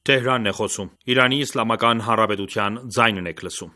Թեհրանն է խոսում։ Իրանի Իսլամական Հանրապետության ձայնն եք լսում։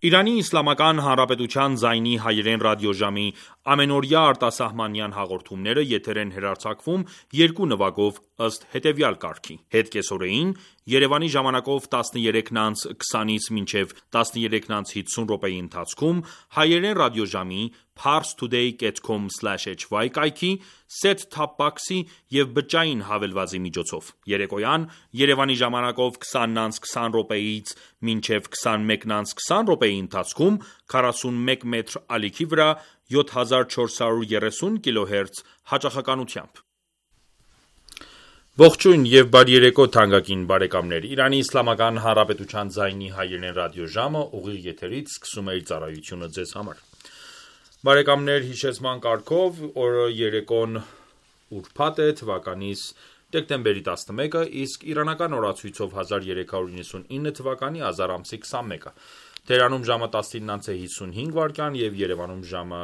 Իրանի Իսլամական Հանրապետության ձայնի հայերեն ռադիոժամի ամենօրյա արտասահմանյան հաղորդումները եթեր են հեռարձակվում երկու նվագով ըստ հետևյալ կարգի. Հետ կեսօրեին Երևանի ժամանակով 13:20-ից մինչև 13:50 րոպեի ընթացքում հայերեն ռադիոժամի parstoday.com/hy կայքի, set-top box-ի և բջջային հավելվածի միջոցով։ Երեկոյան Երևանի ժամանակով 20:20 րոպեից մինչև 21:20 րոպեի ընթացքում 41 մետր ալիքի վրա 7430 կՀz հաճախականությամբ։ Ողջույն և բարի երեկո թանկագին բարեկամներ։ Իրանի Իսլամական Հանրապետության ձայնի հայերեն ռադիոժամը ուղիղ եթերից սկսում է իր ծառայությունը ձեզ համար։ Բարեկամներ, հիշեցման կարգով օրը երեկոն ուրբաթ է, թվականիս դեկտեմբերի 11-ը, իսկ իրանական օրացույցով 1399 թվականի ազար ամսի 21-ը։ Թեհրանում ժամը 19:55 վայրկյան և Երևանում ժամը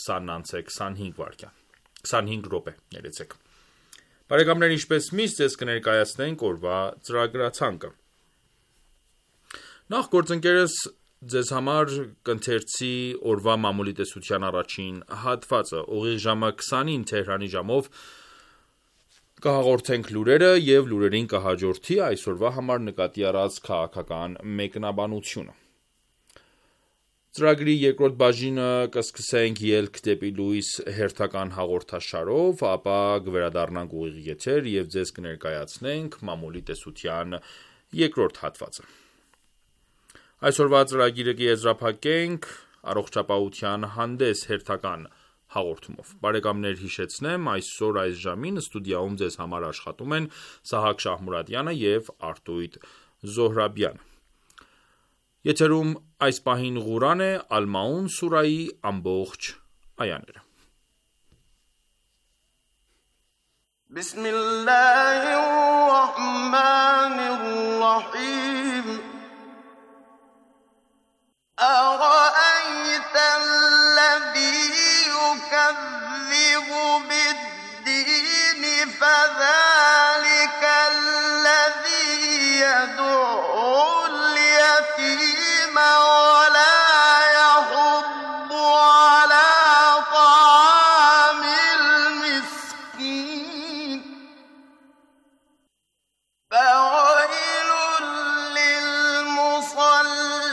20:25 րոպե։ Բարեկամներ, ինչպես միշտ ձեզ կներկայացնենք օրվա ծրագրացանկը։ Նախ գործընկերս ձեզ համար կընթերցի օրվա մամուլի տեսության առաջին հատվածը, ուղիղ ժամը 20-ին Թեհրանի ժամով կհաղորդենք լուրերը և լուրերին կհաջորդի այսօրվա համար նկատի առած քաղաքական մեկնաբանությունը։ Ծրագրի երկրորդ բաժինը կսկսենք ելք դեպի լույս հերթական հաղորդաշարով, ապա կվերադառնանք ուղիղ եթեր և ձեզ կներկայացնենք մամուլի տեսության երկրորդ հատվածը։ Այսօրվա ծրագիրը կեզրափակենք առողջապահության հանդես հերթական հաղորդումով։ Բարեկամներ, հիշեցնեմ, այսօր այս ժամին ստուդիայում ձեզ համար աշխատում են Սահակ Շահմուրադյանը և Արտույտ Զոհրաբյանը։ Եթերում այս պահին Ղուրան է, Ալ-Մաուն սուրայի ամբողջ այաները։ Բիսմիլլահիռռահմանիռռահիմ أرأيت الذي يكذب بالدين فذلك الذي يدعو اليتيم ولا يحض على طعام المسكين فويل للمصلين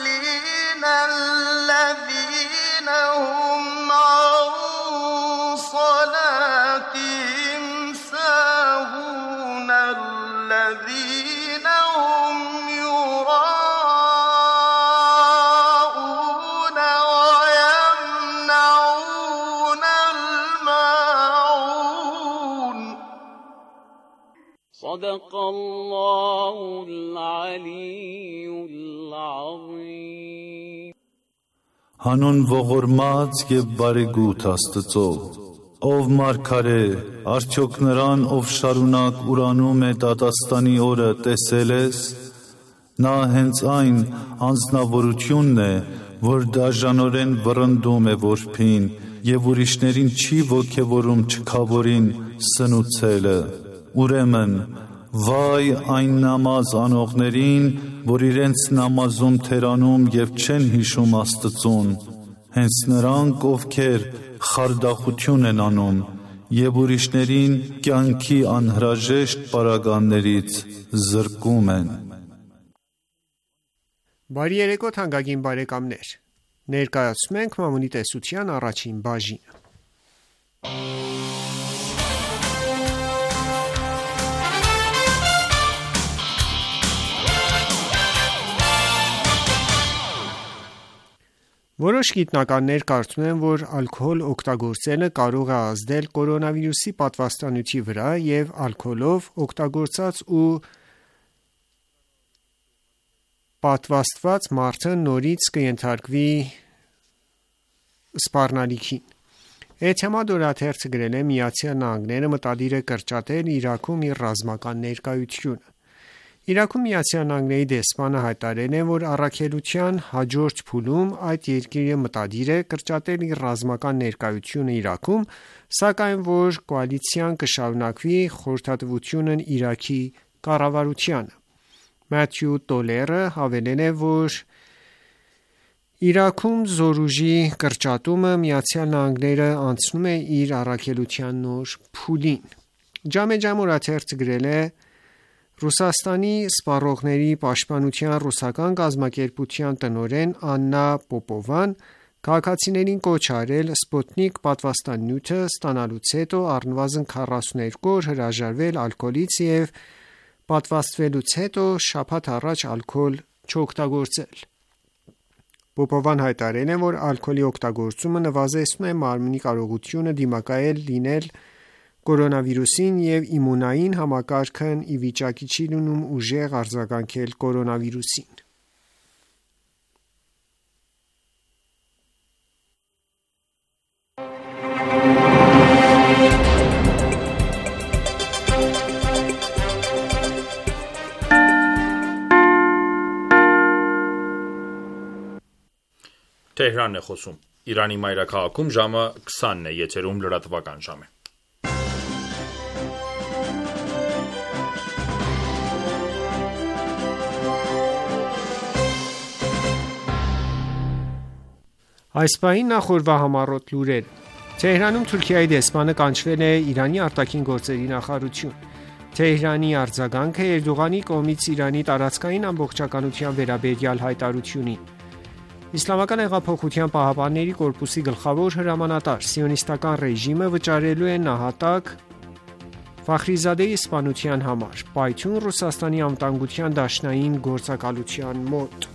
الذين هم عن صلاتهم ساهون الذين هم يراءون ويمنعون الماعون صدق الله العلي العظيم Հանուն ողորմած և բարեգութ Աստծո, ով մարգարե, արդյոք նրան, ով շարունակ ուրանում է դատաստանի օրը, տեսել ես, նա հենց այն անձնավորությունն է, որ դաժանորեն վռնդում է որբին և ուրիշներին չի ոգևորում չքավորին սնուցելը։ Ուրեմն, վայ այն նամազ անողներին, որ իրենց նամազում թերանում և չեն հիշում Աստծուն, հենց նրանք, ովքեր խարդախություն են անում և ուրիշներին կյանքի անհրաժեշտ պարագաներից զրկում են։ Բարի երեկո թանկագին բարեկամներ։ Ներկայացնում ենք Մամունի տեսության առաջին բաժինը։ Որոշ գիտնականներ կարծում են, որ ալկոհոլ օգտագործելը կարող է ազդել կորոնավիրուսի պատվաստանյութի վրա և ալկոհոլով օգտագործած ու պատվաստված մարդը նորից կենթարկվի սպառնալիքին։ Էթեմադ օրաթերթը գրել է Միացյալ Նահանգները մտադիր է կրճատել Իրաքում իր ռազմական ներկայությունը։ Իրաքում Միացյալ Նահանգների դեսպանը հայտարարել է, որ առաքելության հաջորդ փուլում այդ երկիրը մտադիր է կրճատել իր ռազմական ներկայությունը Իրաքում, սակայն որ կոալիցիան կշարունակվի խորհրդատվությունն Իրաքի կառավարությանը։ Մաթյու Տոլերը հավելել է, որ Իրաքում զորուժի կրճատումը Միացյալ Նահանգները անցնում է իր առաքելության նոր փուլին։ Ջամե օրաթերթը գրել է. Ռուսաստանի սպառողների պաշտպանության ռուսական կազմակերպության տնօրեն Աննա Պոպովան քաղաքացիներին կոչ արել Սպուտնիկ պատվաստանյութը ստանալուց հետո առնվազն 42 օր հրաժարվել ալկոհոլից և պատվաստվելուց հետո շաբաթ առաջ ալկոհոլ չօգտագործել։ Պոպովան հայտարարել է, որ ալկոհոլի օգտագործումը նվազեցնում է մարմնի կարողությունը դիմակայել լինել կորոնավիրուսին և իմունային համակարգն ի վիճակի չի լինում ուժեղ արձագանքել կորոնավիրուսին։ Թեհրանն է խոսում։ Իրանի մայրաքաղաքում ժամը 20-ն է, եթերում լրատվական ժամ է։ Այս պահին նախորդ համառոտ լուրեր։ Թեհրանում Թուրքիայի դեսպանը կանչվել է Իրանի արտաքին գործերի նախարարություն։ Թեհրանի արձագանքը Էրդողանի կողմից Իրանի տարածքային ամբողջականության վերաբերյալ հայտարարությունին։ Իսլամական հեղափոխության պահապանների կորպուսի գլխավոր հրամանատար սիոնիստական ռեժիմը վճարելու է նահատակ Ֆախրիզադեի սպանության համար, պայթյուն Ռուսաստանի անվտանգության դաշնային գործակալության մոտ։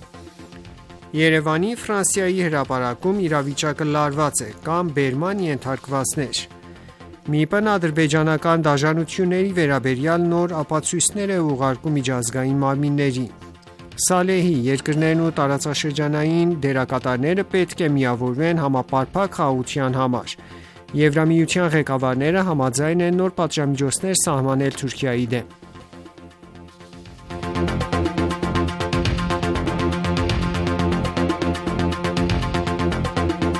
Երևանի Ֆրանսիայի հրապարակում իրավիճակը լարված է կամ բերման ենթարկվածներ։ ՄԻՊ-ն ադրբեջանական դաժանությունների վերաբերյալ նոր ապացույցներ է ուղարկում միջազգային մարմիններին։ Սալեհի երկրներն ու տարածաշրջանային դերակատարները պետք է միավորվեն համապարփակ խաղաղության համար։ Եվրամիության ղեկավարները համաձայն են նոր պատժամիջոցներ սահմանել Թուրքիայի դեմ։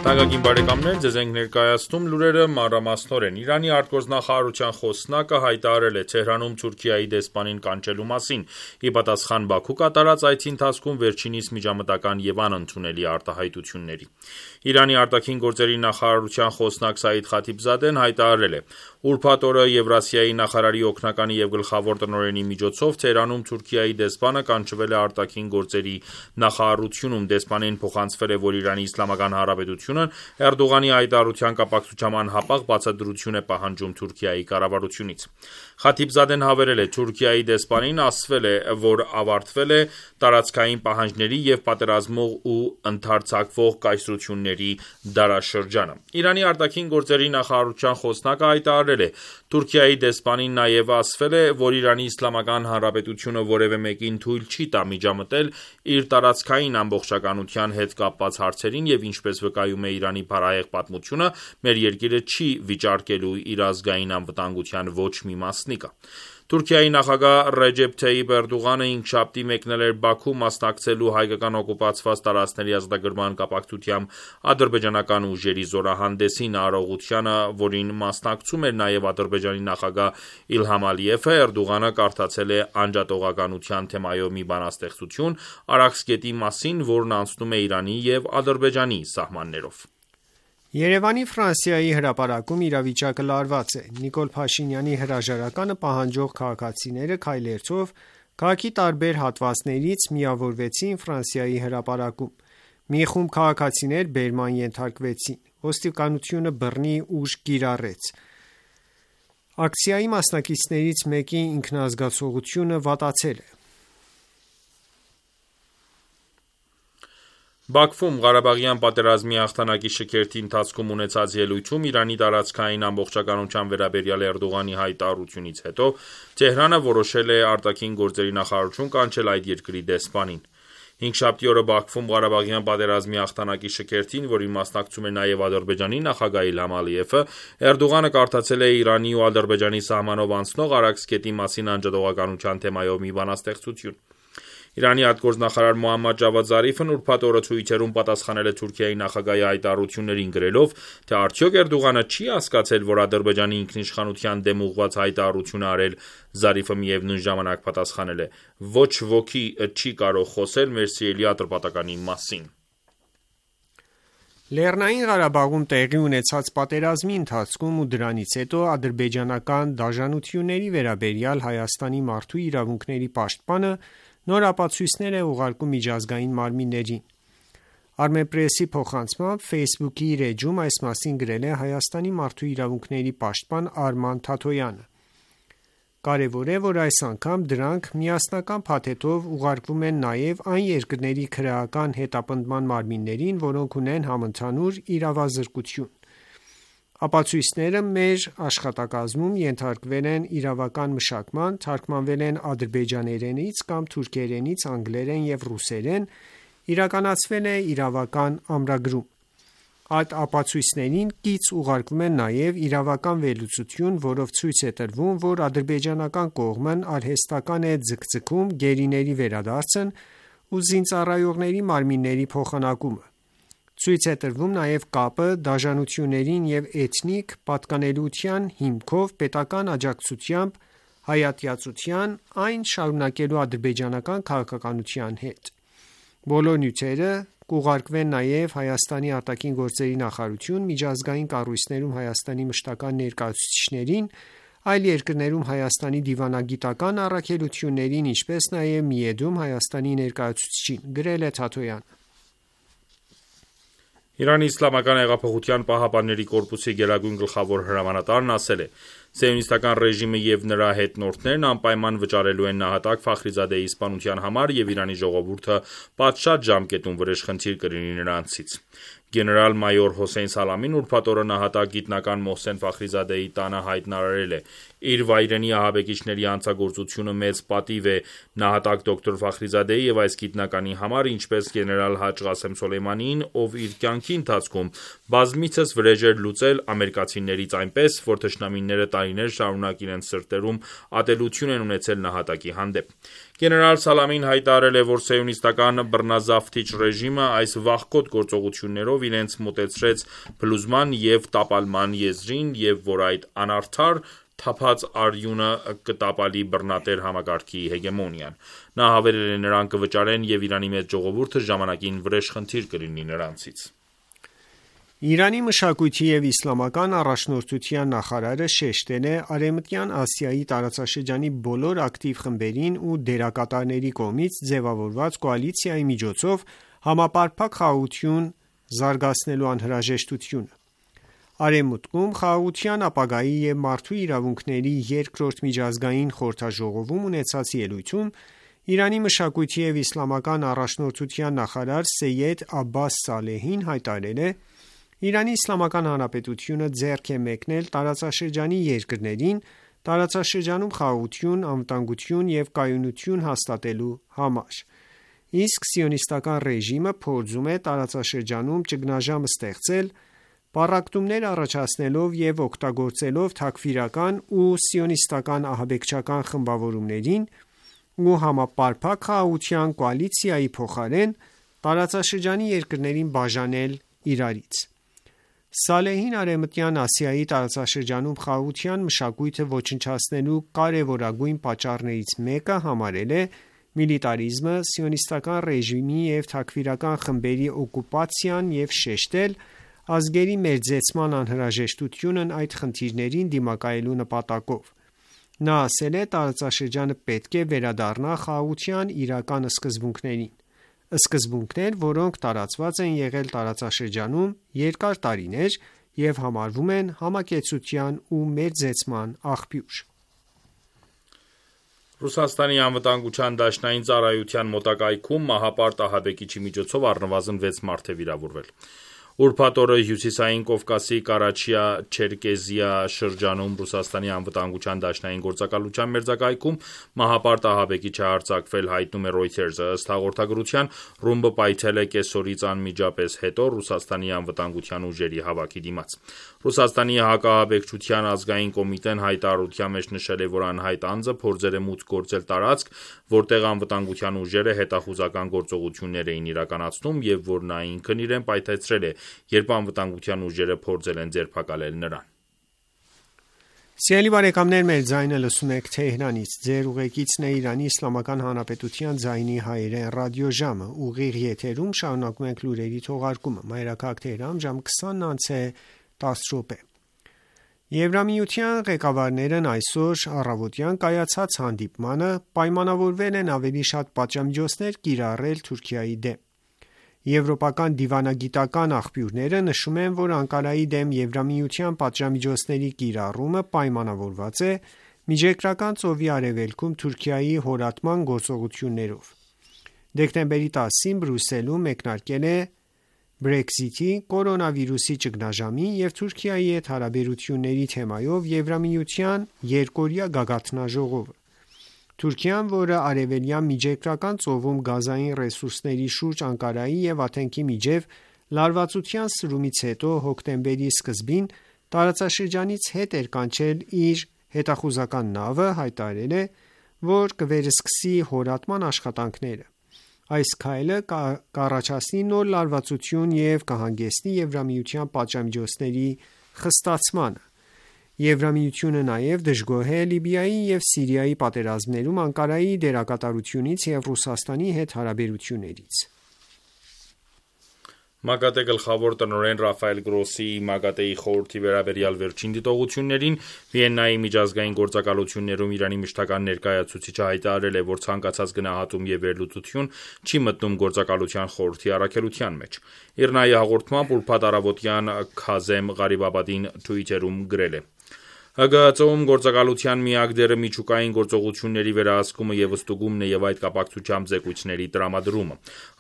Թանկագին բարեկամներ, ձեզ ենք ներկայացնում լուրերը մանրամասնորեն։ Իրանի արտգործնախարարության խոսնակը հայտարարել է Թեհրանում Թուրքիայի դեսպանին կանչելու մասին։ Ի պատասխան Բաքու կատարած այցի ընթացքում վերջինիս միջամտական և անընդունելի արտահայտությունների։ Իրանի արտաքին գործերի նախարարության խոսնակ Սաիդ Խաթիբզադեն հայտարարել է. Ուրբաթ օրը Եվրասիայի նախարարի օգնականի և գլխավոր տնօրենի միջոցով Թեհրանում Թուրքիայի դեսպանը կանչվել է արտաքին գործերի նախարարությունում։ Դեսպանին փոխանցվել է, որ Իրանի Իսլամական Հանրապետությունը Էրդողանի հայտարարության կապակցությամբ անհապաղ բացատրություն է պահանջում Թուրքիայի կառավարությունից։ Խաթիբզադեն հավելել է. Թուրքիայի դեսպանին ասվել է, որ ավարտվել է տարածքային պահանջների և պատերազմող ու ընդարձակվող կայսրությունների դարաշրջանը։ Իրանի արտաքին գործերի նախարարության խոսնակը հայտարարել է. Թուրքիայի դեսպանին նաև ասվել է, որ Իրանի Իսլամական Հանրապետությունը որևէ մեկին թույլ չի տա միջամտել իր տարածքային ամբողջականության հետ կապված հարցերին և ինչպես վկայում է Իրանի փառահեղ պատմությունը, մեր երկիրը չի վիճարկելու իր ազգային անվտանգության ոչ մի մասնիկը։ Թուրքիայի նախագահ Ռեջեփ Թայիփ Էրդողանը հինգշաբթի մեկնել էր Բաքու մասնակցելու հայկական օկուպացված տարածքների ազատագրման կապակցությամբ ադրբեջանական ուժերի զորահանդեսին, արարողությանը, որին մասնակցում էր նաև Ադրբեջանի նախագահ Իլհամ Ալիևը, Էրդողանը կարդացել է անջատողականության թեմայով մի բանաստեղծություն Արաքս գետի մասին, որն անցնում է Իրանի և Ադրբեջանի սահմաններով։ Երևանի Ֆրանսիայի հրապարակում իրավիճակը լարված է։ Նիկոլ Փաշինյանի հրաժարականը պահանջող քաղաքացիները քայլերթով Քաղաքի տարբեր հատվածներից միավորվեցին Ֆրանսիայի հրապարակում։ Մի խումբ քաղաքացիներ բերման ենթարկվեցին։ Ոստիկանությունը բռնի ուժ կիրառեց։ Ակցիայի մասնակիցներից մեկի ինքնազգացողությունը վատացել է։ Բաքվում Ղարաբաղյան պատերազմի հաղթանակի շքերթի ընթացքում ունեցած ելույթում Իրանի տարածքային ամբողջականության վերաբերյալ Էրդողանի հայտարարությունից հետո Թեհրանը որոշել է արտաքին գործերի նախարարություն կանչել այդ երկրի դեսպանին։ Հինգշաբթի օրը Բաքվում Ղարաբաղյան պատերազմի հաղթանակի շքերթին, որին մասնակցում էր նաև Ադրբեջանի նախագահ Իլհամ Ալիևը, Էրդողանը կարդացել է Իրանի ու Ադրբեջանի սահմանով անցնող Արաքսկետի մասին անջատողականության թեմայով մի բանաստեղծություն։ Իրանի արտգործնախարար Մոհամմադ Ջավադ Զարիֆն ուրբաթ օրը Twitter-ում պատասխանել է Թուրքիայի նախագահի հայտարարություններին, գրելով, թե արդյոք Էրդողանը չի հասկացել, որ Ադրբեջանի ինքնիշխանության դեմ ուղղված հայտարարություն է արել։ Զարիֆը միևնույն ժամանակ պատասխանել է. «Ոչ ոքի չի կարող խոսել մեր սիրելի Ատրպատականի մասին»։ Լեռնային Ղարաբաղում տեղի ունեցած պատերազմի ընթացքում ու դրանից հետո ադրբեջանական դաժանությունների վերաբերյալ Հայաստանի մարդու իրավունքների պաշտպանը նոր ապացույցներ է ուղարկում միջազգային մարմիններին։ Armenpress-ի փոխանցմամբ Facebook-ի իր էջում այս մասին գրել է Հայաստանի մարդու իրավունքների պաշտպան Արման Թաթոյանը։ Կարևոր է, որ այս անգամ դրանք միասնական փաթեթով ուղարկվում են նաև այն երկրների քրեական հետապնդման մարմիններին, որոնք ունեն համընդհանուր իրավազրկություն։ Ապացույցները մեր աշխատակազմում ենթարկվել են իրավական մշակման, թարգմանվել են ադրբեջաներենից կամ թուրքերենից անգլերեն և ռուսերեն, իրականացվել է իրավական ամրագրում։ Այդ ապացույցներին կից ուղարկվում է նաև իրավական վերլուծություն, որով ցույց է տրվում, որ ադրբեջանական կողմն արհեստական է ձգձգում գերիների վերադարձն ու զինծառայողների մարմինների փոխանակումը։ Ցույց է տրվում նաև կապը դաժանություններին և էթնիկ պատկանելիության հիմքով պետական աջակցությամբ հայատյացության, այն շարունակելու ադրբեջանական քաղաքականության հետ։ Բոլոր նյութերը կուղարկվեն նաև Հայաստանի արտաքին գործերի նախարարություն, միջազգային կառույցներում Հայաստանի մշտական ներկայացուցիչներին, այլ երկրներում Հայաստանի դիվանագիտական առաքելություններին, ինչպես նաև Միեդում Հայաստանի ներկայացուցչին, գրել է Թաթոյանը։ Իրանի Իսլամական հեղափոխության պահապանների կորպուսի գերագույն գլխավոր հրամանատարն ասել է. «Սիոնիստական ռեժիմը և նրա հետնորդներն անպայման վճարելու են նահատակ Ֆախրիզադեի սպանության համար և Իրանի ժողովուրդը պատշաճ ժամկետում վրեժխնդիր կլինի նրանցից»։ Գեներալ-մայոր Հոսեյն Սալամին ուրբաթ օրը նահատակ գիտնական Մոհսեն Ֆախրիզադեի տանը հայտարարել է. «Իր վայրենի ահաբեկիչների հանցագործությունը մեծ պատիվ է նահատակ դոկտոր Ֆախրիզադեի և այս գիտնականի համար, ինչպես գեներալ Հաջ Ղասեմ Սոլեյմանիին, ով իր կյանքի ընթացքում բազմիցս վրեժեր լուծել ամերիկացիներից, այնպես, որ թշնամիները տարիներ շարունակ իրենց սրտերում ատելություն են ունեցել նահատակի հանդեպ»։ Գեներալ Սալամին հայտարարել է, որ սիոնիստական բռնազավթիչ ռեժիմը այս վախկոտ գործողություններով իրենց մոտեցրեց փլուզման և տապալման եզրին և որ այդ անարդար թափած արյունը կտապալի բռնատեր համակարգի հեգեմոնիան։ Նա հավելել է. «Նրանք կվճարեն և Իրանի մեծ ժողովուրդը ժամանակին վրեժխնդիր կլինի նրանցից»։ Իրանի մշակույթի և իսլամական առաջնորդության նախարարը շեշտել է Արևմտյան Ասիայի տարածաշրջանի բոլոր ակտիվ խմբերին ու դերակատարների կողմից ձևավորված կոալիցիայի միջոցով համապարփակ խաղաղություն զարգացնելու անհրաժեշտությունը։ Արևմուտքում Խաղաղության ապագայի և մարդու իրավունքների երկրորդ միջազգային խորհրդաժողովում ունեցած ելույթում Իրանի մշակույթի և իսլամական առաջնորդության նախարար Սեյեդ Աբբաս Սալեհին հայտարարել է. «Իրանի Իսլամական Հանրապետությունը ձեռք է մեկնել տարածաշրջանի երկրներին տարածաշրջանում խաղաղություն, անվտանգություն և կայունություն հաստատելու համար, իսկ սիոնիստական ռեժիմը փորձում է տարածաշրջանում ճգնաժամ ստեղծել՝ պառակտումներ առաջացնելով և օգտագործելով թաքֆիրական ու սիոնիստական ահաբեկչական խմբավորումներին ու համապարփակ խաղաղության կոալիցիայի փոխարեն տարածաշրջանի երկրներին բաժանել իրարից»։ Սալեհին Արևմտյան Ասիայի տարածաշրջանում խաղաղության մշակույթը ոչնչացնելու կարևորագույն պատճառներից մեկը համարել է միլիտարիզմը, սիոնիստական ռեժիմի և թաքֆիրական խմբերի օկուպացիան և շեշտել ազգերի մերձեցման անհրաժեշտությունն այդ խնդիրներին դիմակայելու նպատակով։ Նա ասել է, տարածաշրջանը պետք է վերադառնա խաղաղության իրական սկզբունքներին, սկզբունքներ, որոնք տարածված են եղել տարածաշրջանում երկար տարիներ և համարվում են համակեցության ու մերձեցման աղբյուր։ Ռուսաստանի անվտանգության դաշնային ծառայության մոտակայքում մահապարտ ահաբեկիչի միջոցով առնվազն 6 մարդ է վիրավորվել։ Ուրբաթ օրը Հյուսիսային Կովկասի Կարաչիա-Չերկեզիա շրջանում Ռուսաստանի անվտանգության դաշնային գործակալության մերձակայքում մահապարտ ահաբեկիչ է արձակվել, հայտնում է Reuters-ը։ Ըստ հաղորդագրության, ռումբը պայթել է կեսօրից անմիջապես հետո Ռուսաստանի անվտանգության ուժերի հավաքի դիմաց։ Ռուսաստանի հակաահաբեկչության ազգային կոմիտեն հայտարարության մեջ նշել է, որ անհայտ անձը փորձել է մուտք գործել տարածք, որտեղ անվտանգության ուժերը հետախուզական գործողություններ էին իրականացնում և որ նա ինքն իրեն պայթեցրել է, երբ անվտանգության ուժերը փորձել են ձերբակալել նրան։ Սիրելի բարեկամներ, մեր ձայնը լսում եք Թեհրանից, ձեր ուղեկիցն է Իրանի Իսլամական Հանրապետության ձայնի հայերեն ռադիոժամը, ուղիղ եթերում շարունակում ենք լուրերի թողարկումը, մայրաքաղաք Թեհրան, ժամ 20:10 Եվրամիության ղեկավարներն այսօր առավոտյան կայացած հանդիպմանը պայմանավորվել են ավելի շատ պատժամիջոցներ կիրառել Թուրքիայի դեմ։ Եվրոպական դիվանագիտական աղբյուրները նշում են, որ Անկարայի դեմ Եվրամիության պատժամիջոցների կիրառումը պայմանավորված է Միջերկրական ծովի արևելքում Թուրքիայի հորատման գործողություններով։ Դեկտեմբերի 10-ին Բրյուսելում մեկնարկել է Brexit-ի, կորոնավիրուսի ճգնաժամի և Թուրքիայի հետ հարաբերությունների թեմայով Եվրամիության երկօրյա գագաթնաժողովը։ Թուրքիան, որը արևելյան Միջերկրական ծովում գազային ռեսուրսների շուրջ Անկարայի և Աթենքի միջև լարվածության սրումից հետո հոկտեմբերի սկզբին տարածաշրջանից հետ էր կանչել իր հետախուզական նավը, հայտարարել է, որ կվերսկսի հորատման աշխատանքները։ Այս քայլը կառաջացնի նոր լարվածություն և կհանգեցնի Եվրամիության պատժամիջոցների խստացմանը։ Եվրամիությունը նաև դժգոհ է Լիբիայի և Սիրիայի պատերազմներում Անկարայի դերակատարությունից և Ռուսաստանի հետ հարաբերություններից։ ՄԱԳԱՏԷ գլխավոր տնօրեն Ռաֆայել Գրոսիի ՄԱԳԱՏԷ-ի խորհրդի վերաբերյալ վերջին դիտողություններին Վիեննայի միջազգային գործակալություններում Իրանի մշտական ներկայացուցիչը հայտարարել է, որ ցանկացած գնահատում և վերլուծություն չի մտնում գործակալության խորհրդի առաքելության մեջ։ ԻՌՆԱ-ի հաղորդմամբ ուրբաթ առավոտյան Քազեմ Ղարիբաբադին Twitter-ում գրել է. ՀԳՀԾ-ում գործակալության միակ դերը միջուկային գործողությունների վերահսկումը և ստուգումն է և այդ կապակցությամբ զեկույցների տրամադրումը։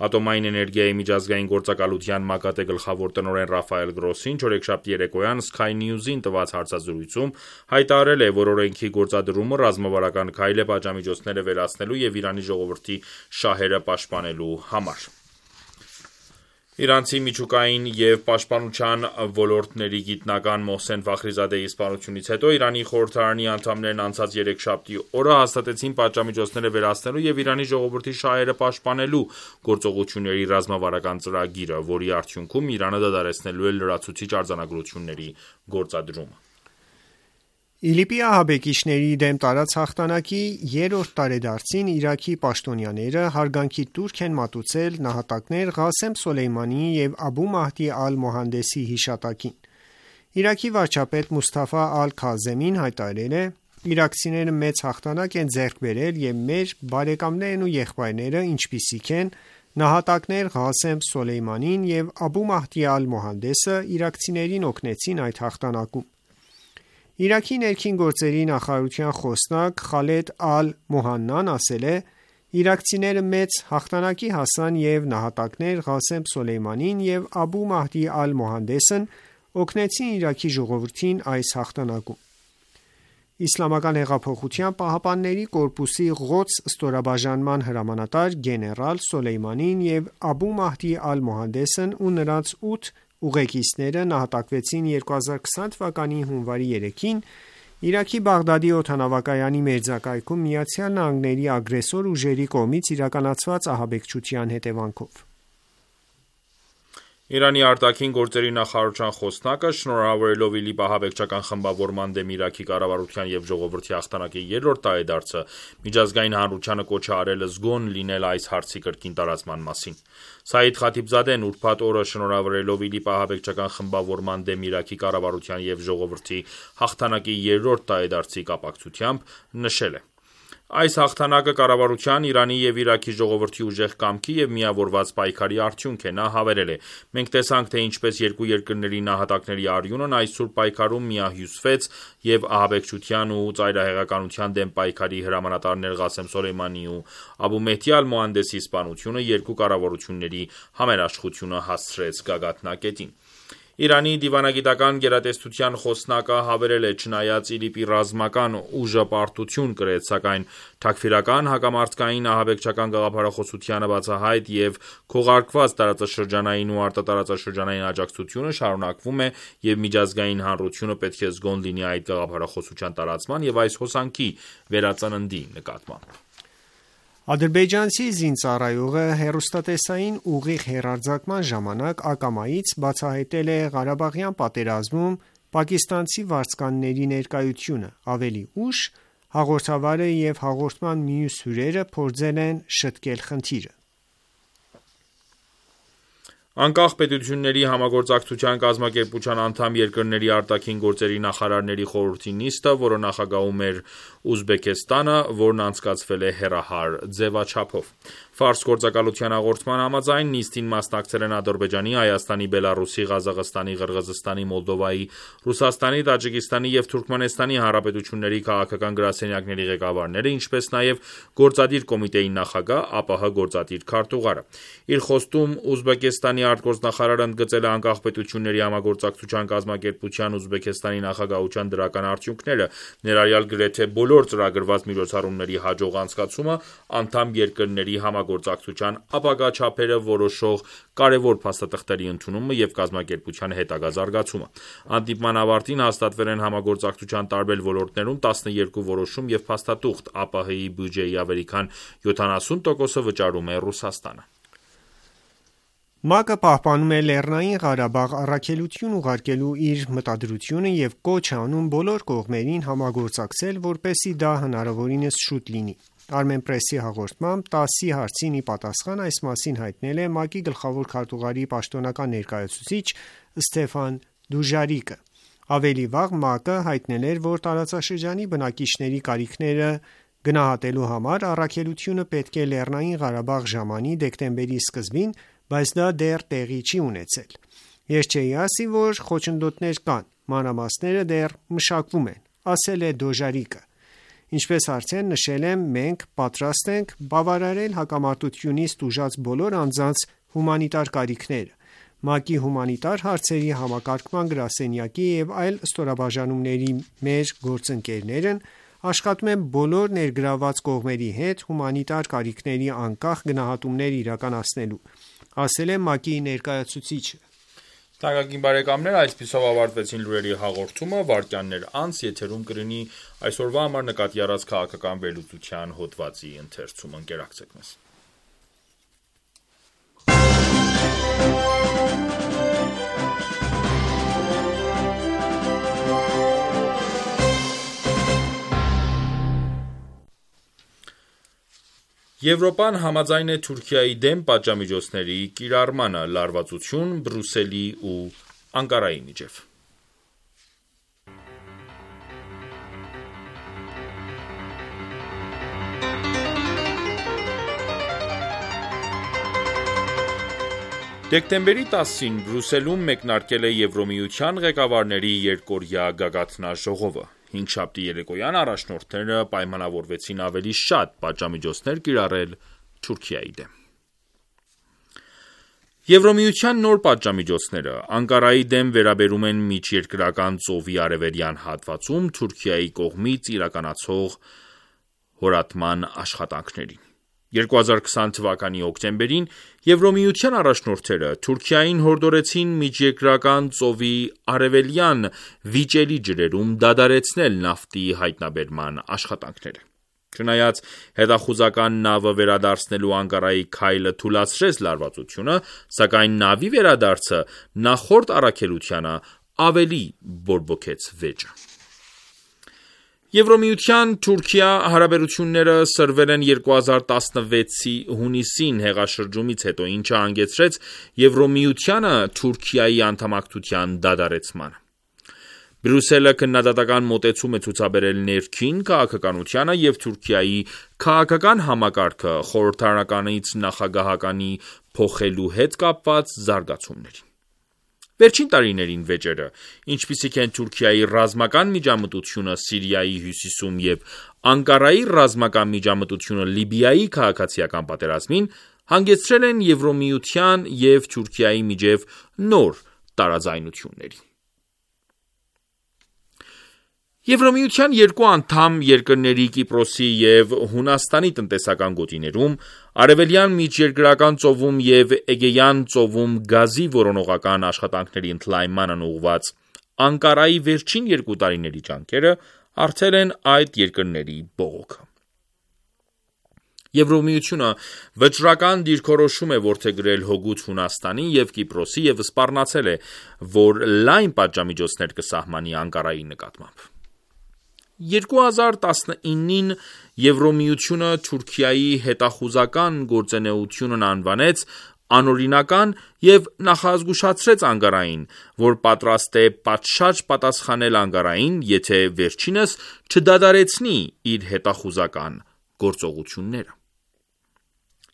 Ատոմային էներգիայի միջազգային գործակալության ՄԱԳԱՏԷ գլխավոր տնօրեն Ռաֆայել Գրոսին չորեքշաբթի երեկոյան Sky News-ին տված հարցազրույցում հայտարարել է, որ օրենքի գործադրումը ռազմավարական քայլ է պատժամիջոցները վերացնելու և Իրանի ժողովրդի շահերը պաշտպանելու համար։ Իրանցի միջուկային և պաշտպանության ոլորտների գիտնական Մոհսեն Ֆախրիզադեի սպանությունից հետո Իրանի խորհրդարանի անդամներն անցած երեքշաբթի օրը հաստատեցին պատժամիջոցները վերացնելու և Իրանի ժողովրդի շահերը պաշտպանելու գործողությունների ռազմավարական ծրագիրը, որի արդյունքում Իրանը դադարեցնելու է լրացուցիչ արձանագրությունների գործադրումը։ ԻԼԻՊ-ի ահաբեկիչների դեմ տարած հաղթանակի երրորդ տարեդարձին Իրաքի պաշտոնյաները հարգանքի տուրք են մատուցել նահատակներ Ղասեմ Սոլեյմանիի և Աբու Մահդի Ալ-Մոհանդեսի հիշատակին։ Իրաքի վարչապետ Մուսթաֆա Ալ-Քազեմին հայտարարել է. «Իրաքցիները մեծ հաղթանակ են ձեռք բերել և մեր բարեկամներն ու եղբայրները, ինչպիսիք են նահատակներ Ղասեմ Սոլեյմանին և Աբու Մահդի Ալ-Մոհանդեսը, իրաքցիներին օգնեցին այդ հաղթանակում»։ Իրաքի ներքին գործերի նախարարության խոսնակ Խալեդ Ալ-Մոհաննան ասել է. «Իրաքցիները մեծ հաղթանակի հասան և նահատակներ Ղասեմ Սոլեյմանին և Աբու Մահդի Ալ-Մոհանդեսն օգնեցին Իրաքի ժողովրդին այս հաղթանակում»։ Իսլամական հեղափոխության պահապանների կորպուսի Ղոդս ստորաբաժանման հրամանատար գեներալ Սոլեյմանին և Աբու Մահդի Ալ-Մոհանդեսն ու նրանց 8 ուղեկիցները նահատակվեցին 2020 թվականի հունվարի 3-ին Իրաքի Բաղդադի օդանավակայանի մերձակայքում ԱՄՆ-ի ագրեսոր ուժերի կողմից իրականացված ահաբեկչության հետևանքով։ Իրանի արտաքին գործերի նախարարության խոսնակը, շնորհավորելով ԻԼԻՊ ահաբեկչական խմբավորման դեմ Իրաքի կառավարության և ժողովրդի հաղթանակի երրորդ տարեդարձը, միջազգային հանրությանը կոչ է արել զգոն լինել այս հարցի կրկին տարածման մասին։ Սաիդ Խաթիբզադեն ուրբաթ օրը շնորհավորելով ԻԼԻՊ ահաբեկչական խմբավորման դեմ Իրաքի կառավարության և ժողովրդի հաղթանակի երրորդ տարեդարձի կապակցությամբ նշել է. Այս հաղթանակը կառավարության, Իրանի և Իրաքի ժողովրդի ուժեղ կամքի և միավորված պայքարի արդյունք է։ Նա հավելել է. «Մենք տեսանք, թե ինչպես երկու երկրների նահատակների արյունն այս սուրբ պայքարում միահյուսվեց և ահաբեկչության ու ծայրահեղականության դեմ պայքարի հրամանատարներ Ղասեմ Սոլեյմանի ու Աբու Մեհդի Ալ-Մոհանդեսի սպանությունը երկու կառավարությունների համերաշխությունը հասցրեց գագաթնակետին»։ Իրանի դիվանագիտական գերատեսչության խոսնակը հավելել է. «Չնայած ԻԼԻՊ-ի ռազմական ուժը պարտություն կրեց, սակայն Թաքֆիրական հակամարտկային ահաբեկչական գաղափարախոսությանը բացահայտ և քողարկված տարածաշրջանային ու արտատարածաշրջանային աջակցությունը շարունակվում է և միջազգային հանրությունը պետք է զգոն լինի այդ գաղափարախոսության տարածման և այս հոսանքի վերածննդի նկատմամբ»։ Ադրբեջանցի զինծառայողը հեռուստատեսային ուղիղ հեռարձակման ժամանակ ակամայից բացահայտել է Ղարաբաղյան պատերազմում պակիստանցի վարձկանների ներկայությունը։ Ավելի ուշ հաղորդավարը և հաղորդման մյուս հյուրերը փորձել են շտկել խնդիրը։ Անկախ պետությունների համագործակցության կազմակերպության անդամ երկրների արտաքին գործերի նախարարների խորհրդի նիստը, որը նախագահում էր Ուզբեկստանը, որն անցկացվել է հեռահար ձևաչափով։ Ֆարս գործակալության հաղորդման համաձայն նիստին մասնակցել են Ադրբեջանի, Հայաստանի, Բելառուսի, Ղազախստանի, Ղրղզստանի, Մոլդովայի, Ռուսաստանի, Տաջիկստանի և Թուրքմենստանի հանրապետությունների քաղաքական գրասենյակների ղեկավարները, ինչպես նաև Գործադիր կոմիտեի նախագահ, ԱՊՀ գործադիր քարտուղարը։ Իր խոստում Ուզբեկստանի արտգործնախարարը ընդգծել է անկախ պետությունների համագործակցության կազմակերպության Ուզբեկստանի նախագահության դրական արդյունքները, ներառյալ գրեթե բոլոր ծրագրված միջոցառումների հաջող անցկացումը, անդամ երկրների համագործակցության ապագա չափերը որոշող կարևոր փաստաթղթերի ընդունումը և կազմակերպության հետագա զարգացումը։ Հանդիպման ավարտին հաստատվել են համագործակցության տարբեր ոլորտներում 12 որոշում և փաստաթուղթ։ ԱՊՀ-ի բյուջեի ավելի քան 70%-ը վճարում է Ռուսաստանը։ ՄԱԿ-ը պահպանում է Լեռնային Ղարաբաղ առաքելություն ուղարկելու իր մտադրությունը և կոչ է անում բոլոր կողմերին համագործակցել, որպեսզի դա հնարավորինս շուտ լինի։ Armenpress-ի հաղորդմամբ 10 հարցին ի պատասխան այս մասին հայտնել է ՄԱԿ-ի գլխավոր քարտուղարի պաշտոնական ներկայացուցիչ Ստեֆան Դուժարիկը։ Ավելի վաղ ՄԱԿ-ը հայտնել էր, որ տարածաշրջանի բնակիչների կարիքները գնահատելու համար առաքելությունը պետք է Լեռնային Ղարաբաղ ժամանի դեկտեմբերի սկզբին, բայց դա դեռ տեղի չի ունեցել։ Ես չէի ասի, որ խոչընդոտներ կան, մանրամասները դեռ մշակվում են, ասել է Դոժարիկը։ Ինչպես արդեն նշել եմ, մենք պատրաստ ենք բավարարել հակամարտությունից տուժած բոլոր անձանց հումանիտար կարիքները։ ՄԱԿ-ի հումանիտար հարցերի համակարգման գրասենյակի և այլ ստորաբաժանումների մեր գործընկերներն աշխատում են բոլոր ներգրավված կողմերի հետ հումանիտար կարիքների անկախ գնահատումներ իրականացնելու, ասել է ՄԱԿ-ի ներկայացուցիչը։ Թանկագին բարեկամներ, այսպիսով ավարտվեցին լուրերի հաղորդումը, վայրկյաններ անց եթերում կլինի այսօրվա համար նկատի առած քաղաքական վերլուծության հոդվածի ընթերցումը։ Ընկերակցեք մեզ։ Եվրոպան համաձայն է Թուրքիայի դեմ պատժամիջոցների կիրառմանը, լարվածություն Բրյուսելի ու Անկարայի միջև։ Դեկտեմբերի 10-ին Բրյուսելում մեկնարկել է Եվրոմիության ղեկավարների երկօրյա գագաթնաժողովը։ Հինգշաբթի երեկոյան առաջնորդները պայմանավորվեցին ավելի շատ պատժամիջոցներ կիրառել Թուրքիայի դեմ։ Եվրոմիության նոր պատժամիջոցները Անկարայի դեմ վերաբերում են Միջերկրական ծովի արևելյան հատվածում Թուրքիայի կողմից իրականացվող հորատման աշխատանքներին։ 2020 թվականի հոկտեմբերին Եվրոմիության առաջնորդները Թուրքիային հորդորեցին Միջերկրական ծովի արևելյան վիճելի ջրերում դադարեցնել նավթի հայտնաբերման աշխատանքները։ Չնայած հետախուզական նավը վերադարձնելու Անկարայի քայլը թուլացրեց լարվածությունը, սակայն նավի վերադարձը նախորդ առաքելությանը ավելի բորբոքեց վեճը։ Եվրոմիության Թուրքիա հարաբերությունները սրվել են 2016-ի հունիսին հեղաշրջումից հետո, ինչը հանգեցրեց Եվրոմիությանը Թուրքիայի անդամակցության դադարեցմանը։ Բրյուսելը քննադատական մոտեցում է ցուցաբերել ներքին քաղաքականությանը և Թուրքիայի քաղաքական համակարգը խորհրդարանականից նախագահականի փոխելու հետ կապված զարգացումներին։ Վերջին տարիներին վեճերը, ինչպիսիք են Թուրքիայի ռազմական միջամտությունը Սիրիայի հյուսիսում և Անկարայի ռազմական միջամտությունը Լիբիայի քաղաքացիական պատերազմին, հանգեցրել են Եվրոմիության և Թուրքիայի միջև նոր տարաձայնությունների։ Եվրոմիության երկու անդամ երկրների Կիպրոսի և Հունաստանի տնտեսական գոտիներում, Արևելյան միջերկրական ծովում և Էգեյան ծովում գազի որոնողական աշխատանքների ընդլայնմանն ուղղված Անկարայի վերջին 2 տարիների ջանքերը առթել են այդ երկրների բողոքը։ Եվրոմիությունը վճռական դիրքորոշում է որդեգրել հօգուտ Հունաստանի և Կիպրոսի և սպառնացել է, որ լայն պատժամիջոցներ կսահմանի Անկարայի նկատմամբ։ 2019-ին Եվրոմիությունը Թուրքիայի հետախուզական գործունեությունն անվանեց անօրինական և նախազգուշացրեց Անկարային, որ պատրաստ է պատշաճ պատասխանել Անկարային, եթե վերջինս չդադարեցնի իր հետախուզական գործողությունները։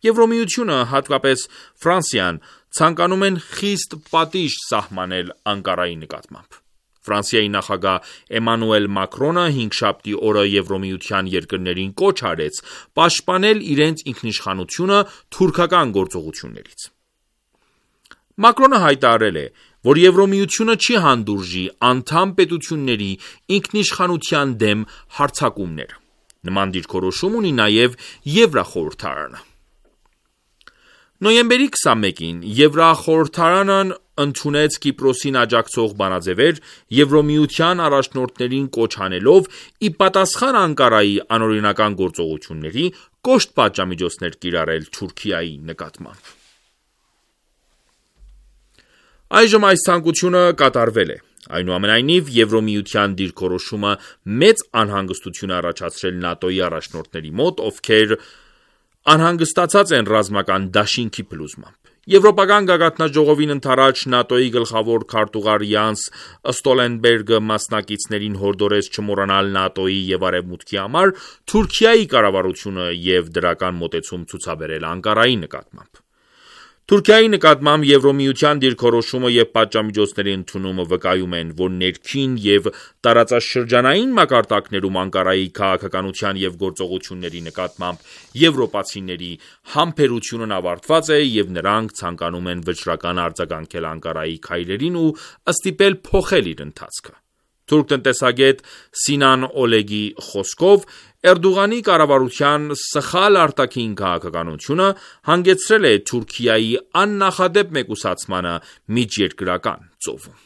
Եվրոմիությունը, հատկապես Ֆրանսիան, ցանկանում են խիստ պատիժ սահմանել Անկարայի նկատմամբ։ Ֆրանսիայի նախագահ Էմանուել Մակրոնը հինգշաբթի օրը Եվրոմիության երկրներին կոչ արեց պաշտպանել իրենց ինքնիշխանությունը թուրքական գործողություններից։ Մակրոնը հայտարարել է, որ Եվրոմիությունը չի հանդուրժի անդամ պետությունների ինքնիշխանության դեմ հարձակումներ։ Նման դիրքորոշում ունի նաև Եվրախորհրդարանը։ Նոյեմբերի 21-ին Եվրախորհրդարանն ընդունեց Կիպրոսին աջակցող բանաձևեր, Եվրոմիության առաջնորդներին կոչ անելով ի պատասխան Անկարայի անօրինական գործողությունների կոշտ պատժամիջոցներ կիրառել Թուրքիայի նկատմամբ։ Այժմ այս ցանկությունը կատարվել է։ Այնուամենայնիվ, Եվրոմիության դիրքորոշումը մեծ անհանգստություն է առաջացրել ՆԱՏՕ-ի առաջնորդների մոտ, ովքեր անհանգստացած են ռազմական դաշինքի փլուզմամբ։ Եվրոպական գագաթնաժողովին ընդառաջ ՆԱՏՕ-ի գլխավոր քարտուղար Յանս Ստոլտենբերգը մասնակիցներին հորդորեց չմոռանալ ՆԱՏՕ-ի և Արևմուտքի համար Թուրքիայի կառավարությունը և դրական մոտեցում ցուցաբերել Անկարայի նկատմամբ։ Թուրքիայի նկատմամբ Եվրոմիության դիրքորոշումը և պատժամիջոցների ընդունումը վկայում են, որ ներքին և տարածաշրջանային մակարդակներում Անկարայի քաղաքականության և գործողությունների նկատմամբ եվրոպացիների համբերությունն ավարտված է և նրանք ցանկանում են վճռական արձագանքել Անկարայի քայլերին ու ստիպել փոխել իր ընթացքը։ Թուրք տնտեսագետ Սինան Օլեգի խոսքով, Էրդողանի կառավարության սխալ արտաքին քաղաքականությունը հանգեցրել է Թուրքիայի աննախադեպ մեկուսացմանը միջերկրական ծովում։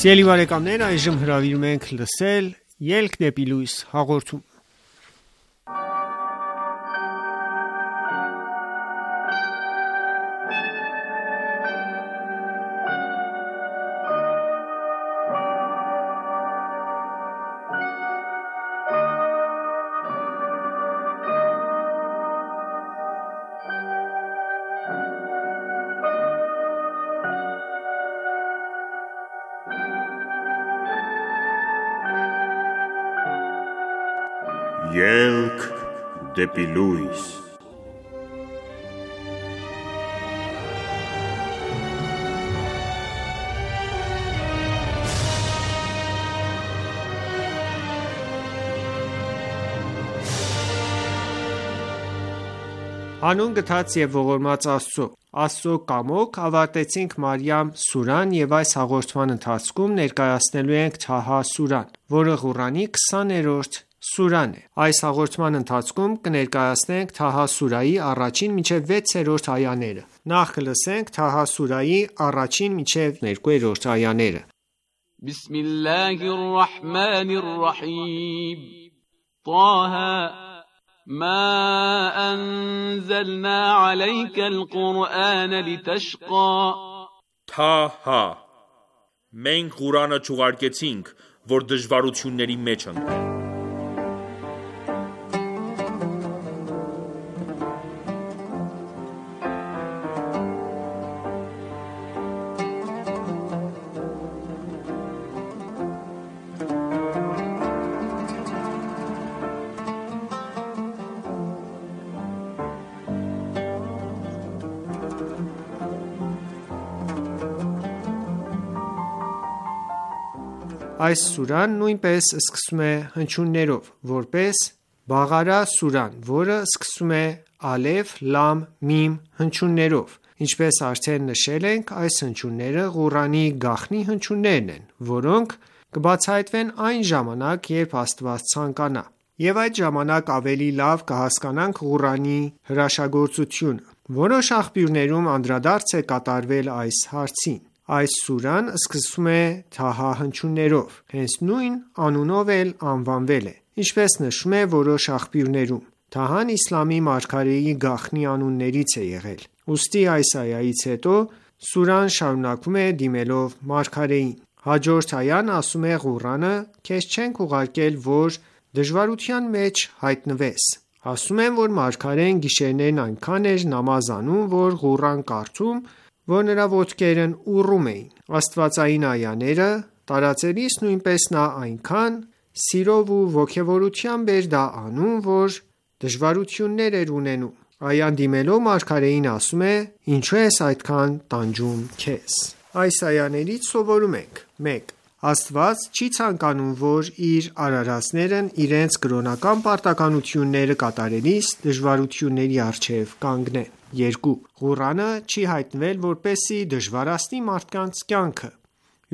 Սիրելի բարեկամներ, այժմ հրավիրում ենք լսել Ելք դեպի լույս հաղորդումը։ Ելք դեպի լույս։ Հանուն գթած և ողորմած Աստծո։ Աստծո կամոք ավարտեցինք Մարիամ սուրան և այս հաղորդման ընթացքում ներկայացնելու ենք Թահա սուրան, որը Ղուրանի 20-րդ սուրան է։ Այս հաղորդման ընթացքում կներկայացնենք Թահա սուրայի 1-ին մինչև 6-րդ այաները։ Նախ կլսենք Թահա սուրայի առաջին մինչև 2-րդ այաները։ Բիսմիլլահիռռահմանիռռահիմ Տահա ما أنزلنا عليك القرآن لتشقى Թահա Մենք Ղուրանը չուղարկեցինք, որ դժվարությունների մեջ ընկնես։ Այս սուրան նույնպես սկսում է հնչյուններով, որպես Բաղարա սուրան, որը սկսում է ալեֆ, լամ, միմ հնչյուններով։ Ինչպես արդեն նշել ենք, այս հնչյունները Ղուրանի գաղտնի հնչյուններն են, որոնք կբացահայտվեն այն ժամանակ, երբ Աստված ցանկանա։ Եվ այդ ժամանակ ավելի լավ կհասկանանք Ղուրանի հրաշագործությունը։ Որոշ աղբյուրներում անդրադարձ է կատարվել այս հարցին։ Այս սուրան սկսվում է Թահա հնչյուններով, հենց նույն անունով էլ անվանվել է։ Ինչպես նշվում է որոշ աղբյուրներում, Թահան իսլամի մարգարեի գաղտնի անուններից է եղել։ Ուստի այս այայից հետո սուրան շարունակվում է դիմելով մարգարեին։ Հաջորդ այան ասում է Ղուրանը քեզ չենք ուղարկել, որ դժվարության մեջ հայտնվես։ Ասում են, որ մարգարեն գիշերներն այնքան էր նամազ անում, որ Ղուրան կարդում, որ նրա ոտքերն ուռում էին։ Աստվածային այաները տարածելիս նույնպես նա այնքան սիրով ու ոգևորությամբ էր դա անում, որ դժվարություններ էր ունենում։ Այան դիմելով մարգարեին ասում է. «Ինչու ես այդքան տանջում քեզ»։ Այս այաներից սովորում ենք. 1. Աստված չի ցանկանում, որ իր արարածներն իրենց կրոնական պարտականությունները կատարելիս դժվարությունների առջև կանգնեն։ 2. Ղուրանը չի հայտնվել, որպեսզի դժվարացնի մարդկանց կյանքը։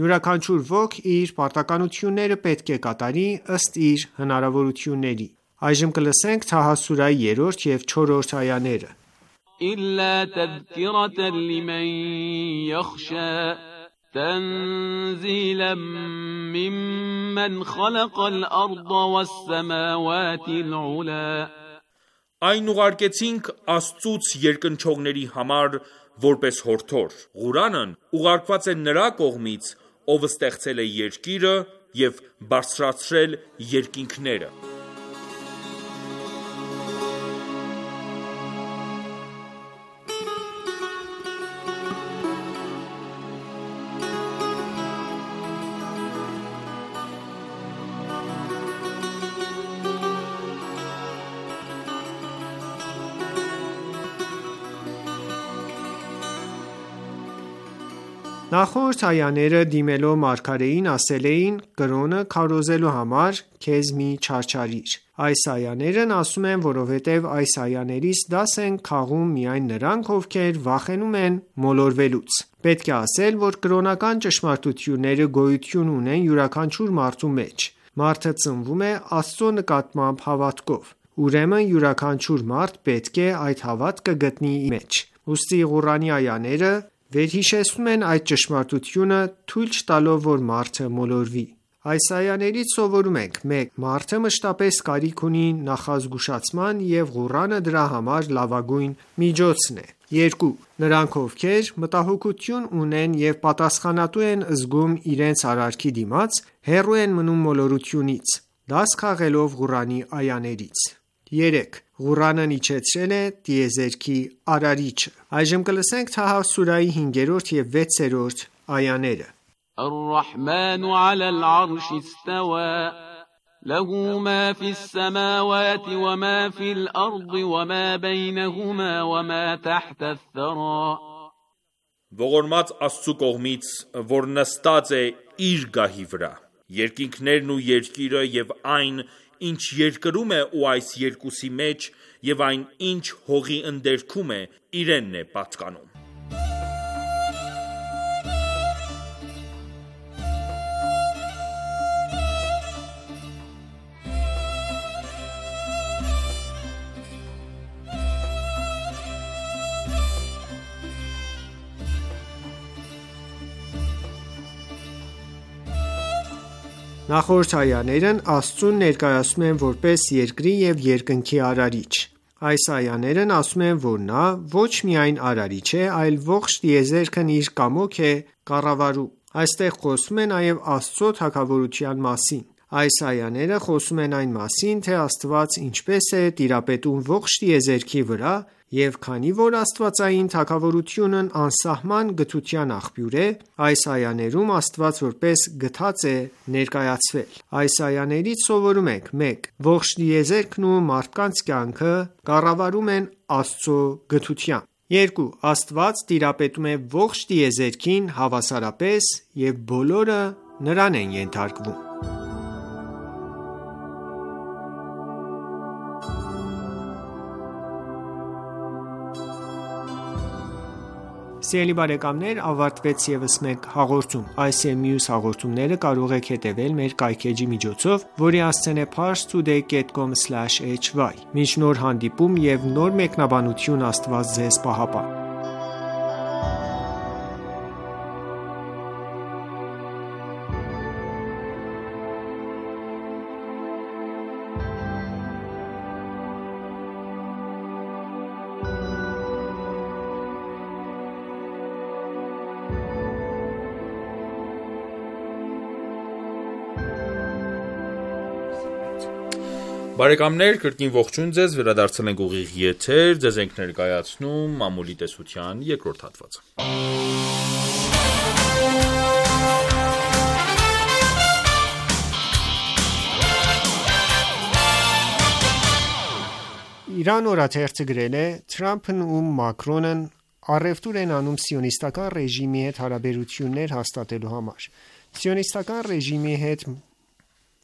Յուրաքանչյուր ոք իր պարտականությունները պետք է կատարի ըստ իր հնարավորությունների։ Այժմ կլսենք Թահա սուրայի 3 և 4-րդ այաները։ إلا تذكرة لمن يخشى تنزيلا ممن خلق الأرض والسماوات العلا Այն ուղարկեցինք Աստծուց երկնչողների համար որպես հորդոր։ Ղուրանն ուղարկված է նրա կողմից, ով ստեղծել է երկիրը և բարձրացրել երկինքները։ Նախորդ այաները դիմելով մարգարեին ասել էին կրոնը քարոզելու համար քեզ մի չարչարիր։ Այս այաներն ասում են, որովհետև այս այաներից դաս են քաղում միայն նրանք, ովքեր վախենում են մոլորվելուց։ Պետք է ասել, որ կրոնական ճշմարտությունները գոյություն ունեն յուրաքանչյուր մարդու մեջ։ Մարդը ծնվում է Աստծո նկատմամբ հավատքով։ Ուրեմն յուրաքանչյուր մարդ պետք է այդ հավատքը գտնի իր մեջ։ Ուստի Ղուրանի այաները վերհիշեցնում են այդ ճշմարտությունը, թույլ չտալով, որ մարդը մոլորվի։ Այս այաներից սովորում ենք. 1. Մարդը մշտապես կարիք ունի նախազգուշացման և Ղուրանը դրա համար լավագույն միջոցն է։ 2. Նրանք, ովքեր մտահոգություն ունեն և պատասխանատու են զգում իրենց արարքի դիմաց, հեռու են մնում մոլորությունից, դաս քաղելով Ղուրանի այաներից։ 3. Ղուրանն իջեցրել է տիեզերքի արարիչը։ Այժմ կլսենք Թահա սուրայի 5-րդ և 6-րդ այաները։ الرحمن على العرش استوى له ما في السماوات وما في الأرض وما بينهما وما تحت الثرى Ողորմած Աստծու կողմից, որ նստած է իր գահի վրա, երկինքներն ու երկիրը և այն, ինչ երկրում է ու այս երկուսի մեջ, և այն, ինչ հողի ընդերքում է, իրենն է պատկանում։ Նախորդ այաներն Աստծուն ներկայացնում են որպես երկրի և երկնքի արարիչ: Այս այաներն ասում են, որ նա ոչ միայն արարիչ է, այլ ողջ տիեզերքն իր կամոք է կառավարում: Այստեղ խոսվում է նաև Աստծո թագավորության մասին: Այս այաները խոսում են այն մասին, թե Աստված ինչպես է տիրապետում ողջ տիեզերքի վրա, և քանի որ աստվածային թագավորությունն անսահման գթության աղբյուր է, այս այաներում Աստված որպես գթած է ներկայացվել: Այս այաներից սովորում ենք. 1. Ողջ տիեզերքն ու մարդկանց կյանքը կառավարում են Աստծո գթությամբ: 2. Աստված տիրապետում է ողջ տիեզերքին հավասարապես և բոլորը նրան են ենթարկվում: Ավարտվեց ևս մեկ հաղորդում: Այս և մյուս հաղորդումները կարող եք հետևել մեր կայքէջի միջոցով, որի հասցեն է parstoday.com/hy: Մինչ նոր հանդիպում և նոր մեկնաբանություն Աստված Ձեզ պահապան: Բարեկամներ, կրկին ողջույն ձեզ, վերադարձել ենք ուղիղ եթեր, ձեզ ենք ներկայացնում մամուլի տեսության երկրորդ հատվածը: Իրան օրաթերթը գրել է. Թրամփն ու Մակրոնն առևտուր են անում սիոնիստական ռեժիմի հետ հարաբերություններ հաստատելու համար: Սիոնիստական ռեժիմի հետ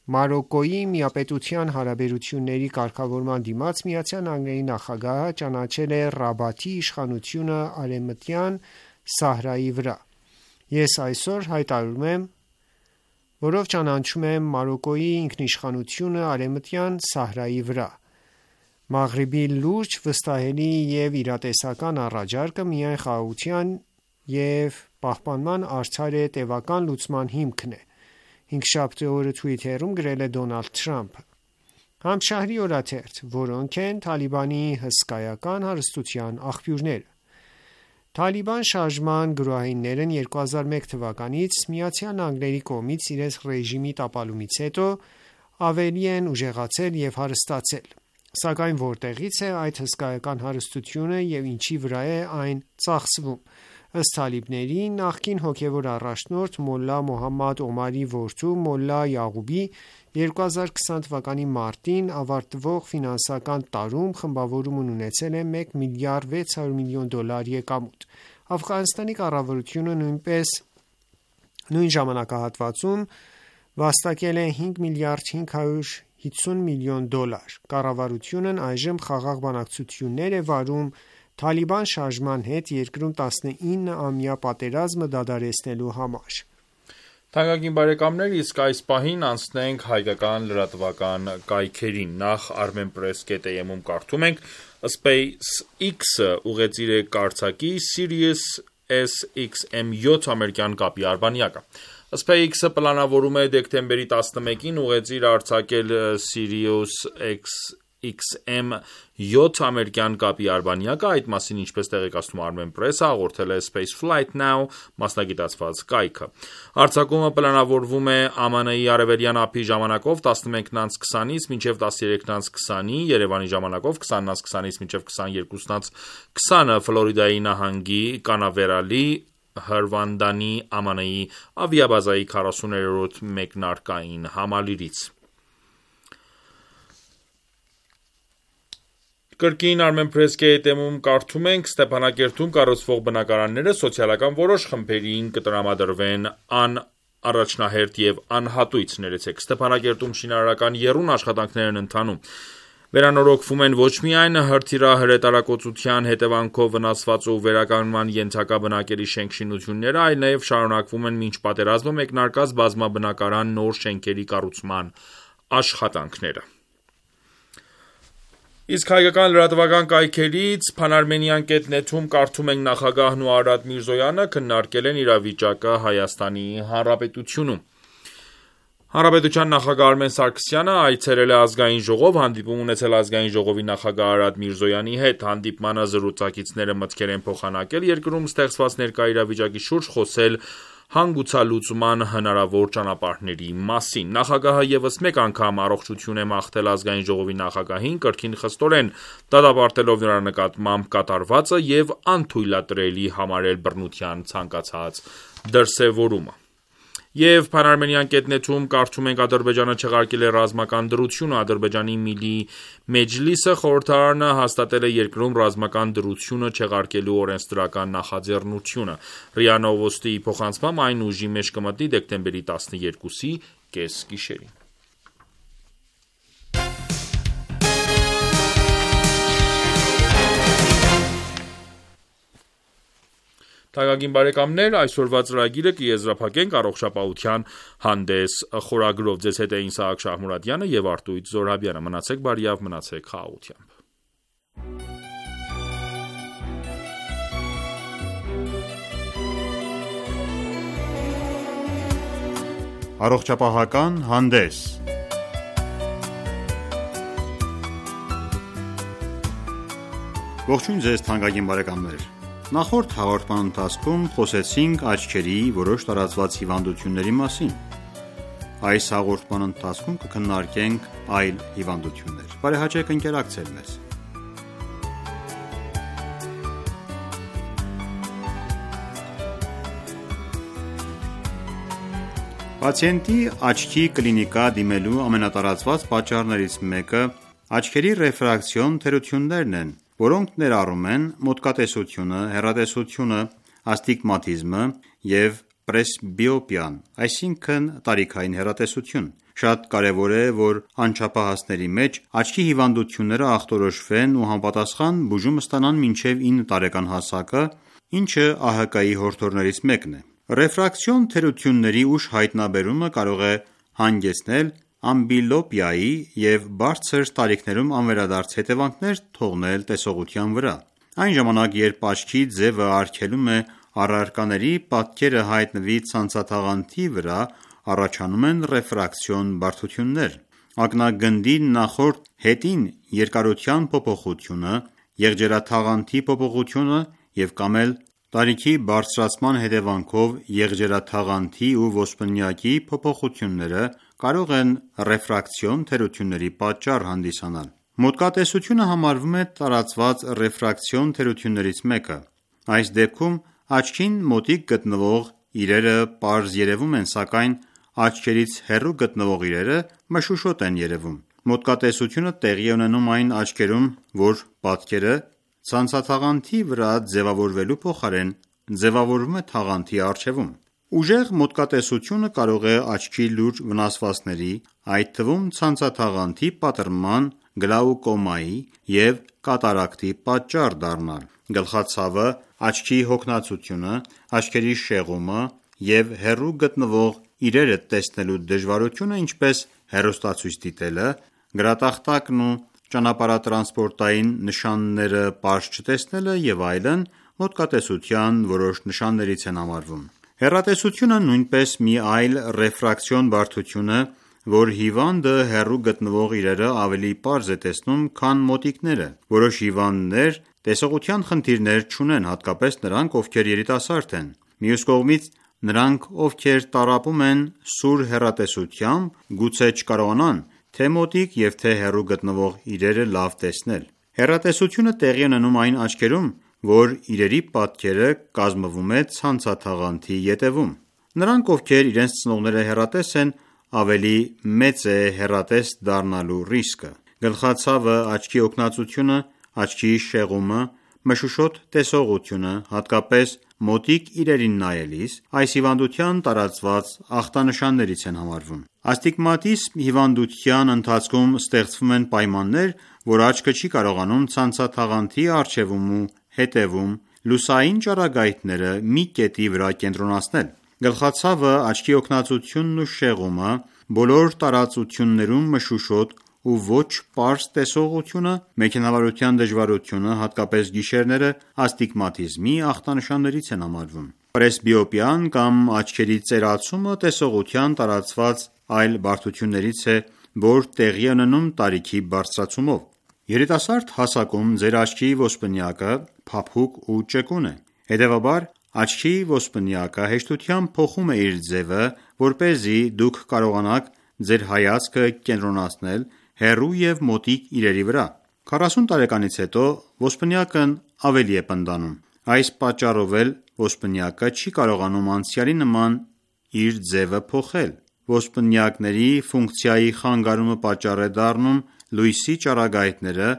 Մարոկկոյի միապետության հարաբերությունների կարգավորման դիմաց ԱՄՆ նախագահը ճանաչել է Ռաբաթի իշխանությունը Արևմտյան Սահարայի վրա: Ես այսօր հայտարարում եմ, որով ճանաչում եմ Մարոկկոյի ինքնիշխանությունը Արևմտյան Սահարայի վրա: Մաղրիբի լուրջ, վստահելի և իրատեսական առաջարկը միայն խաղաղության և պահպանման արդար ու տևական լուծման հիմքն է: Հինգշաբթի օրը Twitter-ում գրել է Դոնալդ Թրամփը: Համշահրի օրաթերթ. Որոնք են Թալիբանի հսկայական հարստության աղբյուրները: Թալիբան շարժման գրոհայիններն 2001 թվականից ԱՄՆ-ի կողմից իրենց ռեժիմի տապալումից հետո ավելի են ուժեղացել և հարստացել: Սակայն որտեղի՞ց է այդ հսկայական հարստությունը և ինչի վրա է այն ծախսվում: Ըստ թալիբների նախկին հոգևոր առաջնորդ Մոլլա Մոհամմադ Օմարի որդու Մոլլա Յաղուբի 2020 թվականի մարտին ավարտվող ֆինանսական տարում խմբավորումն ունեցել է $1 միլիարդ 600 միլիոն եկամուտ: Աֆղանստանի կառավարությունը նույն ժամանակահատվածում վաստակել է $5 միլիարդ 550 միլիոն: Կառավարությունն այժմ խաղաղ բանակցություններ է վարում Թալիբան շարժման հետ երկրում 19-ամյա պատերազմը դադարեցնելու համար: Իսկ այս պահին անցնենք հայկական լրատվական կայքերին: Նախ armenpress.am-ում կարդում ենք. SpaceX-ը ուղեծիր է կայացակի Sirius SXM-7 ամերիկյան կապի արբանյակը: SpaceX-ը պլանավորում է դեկտեմբերի 11-ին ուղեծիր արձակել Sirius SXM-7 ամերիկյան կապի արբանյակը: Այդ մասին, ինչպես տեղեկացնում է Armenpress-ը, հաղորդել է Spaceflight Now մասնագիտացված կայքը: Արձակումը պլանավորվում է ԱՄՆ-ի Արևելյան ափի ժամանակով 11:20-ից մինչև 13:20, Երևանի ժամանակով 20:20-ից մինչև 22:20, Ֆլորիդայի նահանգի Կանավերալի Հրվանդանի ԱՄՆ-ի ավիաբազայի 40-րդ մեկնարկային համալիրից: Կրկին armenpress.am-ում կարդում ենք. Ստեփանակերտում կառուցվող բնակարանները սոցիալական որոշ խմբերին կտրամադրվեն անառաջնահերթ և անհատույց: Ստեփանակերտում շինարարական եռուն աշխատանքներ են ընթանում: Վերանորոգվում են ոչ միայն հրթիռահրետակոծության հետևանքով վնասված ու վերականգնման ենթակա բնակելի շենք-շինությունները, այլ նաև շարունակվում են մինչ պատերազմը մեկնարկած բազմաբնակարան նոր շենքերի կառուցման աշխատանքները: Իսկ հայկական լրատվական կայքերից Phanarmenian.net-ում կարդում ենք. Նախագահն ու Արադ Միրզոյանը քննարկել են իրավիճակը Հայաստանի Հանրապետությունում: Հանրապետության նախագահ Արմեն Սարգսյանը այցելել է Ազգային ժողով, հանդիպում ունեցել Ազգային ժողովի նախագահ Արադ Միրզոյանի հետ։ Հանդիպմանը զրուցակիցները մտքեր են փոխանակել երկրում ստեղծված ներկա իրավիճակի շուրջ, խոսել հանգուցալուծման հնարավոր ճանապարհների մասին։ Նախագահը ևս մեկ անգամ առողջություն է մաղթել Ազգային ժողովի նախագահին, կրկին խստորեն դատապարտելով նրա նկատմամբ կատարվածը եւ անթույլատրելի համարել բռնության ցանկացած դրսեւորումը։ Եվ Փանարմենյան.net-ում կարդում ենք Ադրբեջանը չեղարկել է ռազմական դրությունը, Ադրբեջանի Միլի Մեջլիսը խորհրդարանը հաստատել է երկրում ռազմական դրությունը չեղարկելու օրենսդրական նախաձեռնությունը։ ՌԻԱ Նովոստիի փոխանցմամբ այն ուժի մեջ կմտնի դեկտեմբերի 12-ի կեսգիշերին։ Թանկագին բարեկամներ, այսօրվա ծրագիրը կեզրափակենք առողջապահության հանդես խորագրով։ Ձեզ հետ է Իսահակ Շահմուրադյանը եւ Արտույտ Զորաբյանը։ Մնացեք բարիավ, մնացեք խաղաղությամբ։ Առողջապահական հանդես։ Ողջույն ձեզ թանկագին բարեկամներ։ Նախորդ հաղորդման ընթացքում խոսեցինք աչքերի որոշ տարածված հիվանդությունների մասին։ Այս հաղորդման ընթացքում կքննարկենք այլ հիվանդություններ։ Բարեհաճեք ընկերակցել մեզ։ Պացիենտի աչքի կլինիկա դիմելու ամենատարածված պատճառներից մեկը աչքերի ռեֆրակցիոն թերություններն են, որոնք ներառում են մոտկատեսությունը, հեռատեսությունը, աստիգմատիզմը և պրեսբիոպիան, այսինքն տարիքային հեռատեսություն։ Շատ կարևոր է, որ անչափահասների մեջ աչքի հիվանդությունները ախտորոշվեն ու համապատասխան բուժում ստանան մինչև 9 տարեկան հասակը, ինչը ԱՀԿ-ի հորդորներից մեկն է։ Ռեֆրակցիոն թերությունների ուշ հայտնաբերումը կարող է հանգեցնել ամբլիոպիայի և բարձր տարիքներում անվերադարձ հետևանքներ թողնել տեսողության վրա։ Այն ժամանակ, երբ աչքի ձևը արգելում է առարկաների պատկերը հայտնվի ցանցաթաղանթի վրա, առաջանում են ռեֆրակցիոն բարդություններ։ Ակնագնդի նախորդ հետին երկարության փոփոխությունը, եղջերաթաղանթի փոփոխությունը և կամ էլ տարիքի բարձրացման հետևանքով եղջերաթաղանթի ու ոսպնյակի փոփոխությունները կարող են ռեֆրակցիոն թերությունների պատճառ հանդիսանալ։ Մոտկատեսությունը համարվում է տարածված ռեֆրակցիոն թերություններից մեկը։ Այս դեպքում աչքին մոտիկ գտնվող իրերը պարզ երևում են, սակայն աչքերից հեռու գտնվող իրերը մշուշոտ են երևում։ Մոտկատեսությունը տեղի է ունենում այն աչքերում, որ պատկերը ցանցաթաղանթի վրա ձևավորվելու փոխարեն ձևավորվում է թաղանթի առջևում։ Ուժեղ մոտկատեսությունը կարող է աչքի լուրջ վնասվածքների, այդ թվում ցանցաթաղանթի պատռման, գլաուկոմայի և կատարակտի պատճառ դառնալ։ Գլխացավը, աչքի հոգնածությունը, աչքերի շեղումը և հեռու գտնվող իրերը տեսնելու դժվարությունը, ինչպես հեռուստացույց դիտելը, գրատախտակն ու ճանապարհատրանսպորտային նշանները պարզ չտեսնելը և այլն մոտկատեսության որոշ նշաններից են համարվում։ Հեռատեսությունը նույնպես մի այլ ռեֆրակցիոն բարդություն է, որ հիվանդը հեռու գտնվող իրերը ավելի պարզ է տեսնում, քան մոտիկները։ Որոշ հիվանդներ տեսողության խնդիրներ չունեն, հատկապես նրանք, ովքեր երիտասարդ են։ Մյուս կողմից, նրանք, ովքեր տառապում են սուր հեռատեսությամբ, գուցե չկարողանան թե մոտիկ և թե հեռու գտնվող իրերը լավ տեսնել։ Հեռատեսությունը տեղի է ունենում այն աչքերում, որ իրերի պատկերը կազմվում է ցանցաթաղանթի ետևում։ Նրանք, ովքեր իրենց ծնողները հեռատես են, ավելի մեծ է հեռատես դառնալու ռիսկը։ Գլխացավը, աչքի հոգնածությունը, աչքի շեղումը, մշուշոտ տեսողությունը, հատկապես մոտիկ իրերին նայելիս, այս հիվանդության տարածված ախտանշաններից են համարվում։ Աստիգմատիզմ հիվանդության ընթացքում ստեղծվում են պայմաններ, որ աչքը չի կարողանում ցանցաթաղանթի առջևում ու հետևում լուսային ճառագայթները մի կետի վրա կենտրոնացնել։ Գլխացավը, աչքի հոգնածությունն ու շեղումը, բոլոր տարածություններում մշուշոտ ու ոչ պարզ տեսողությունը, մեքենավարության դժվարությունը, հատկապես գիշերները, աստիգմատիզմի ախտանշաններից են համարվում։ Պրեսբիոպիան կամ աչքերի ծերացումը տեսողության տարածված այլ բարդություններից է, որ տեղի է ունենում տարիքի բարձրացումով։ Երիտասարդ հասակում ձեր աչքի ոսպնյակը փափուկ ու ճկուն է, հետևաբար աչքի ոսպնյակը հեշտությամբ փոխում է իր ձևը, որպեսզի դուք կարողանաք ձեր հայացքը կենտրոնացնել հեռու և մոտիկ իրերի վրա։ 40 տարեկանից հետո ոսպնյակն ավելի է պնդանում։ Այս պատճառով էլ ոսպնյակը չի կարողանում անցյալի նման իր ձևը փոխել։ Ոսպնյակների ֆունկցիայի խանգարումը պատճառ է դառնում լույսի ճառագայթները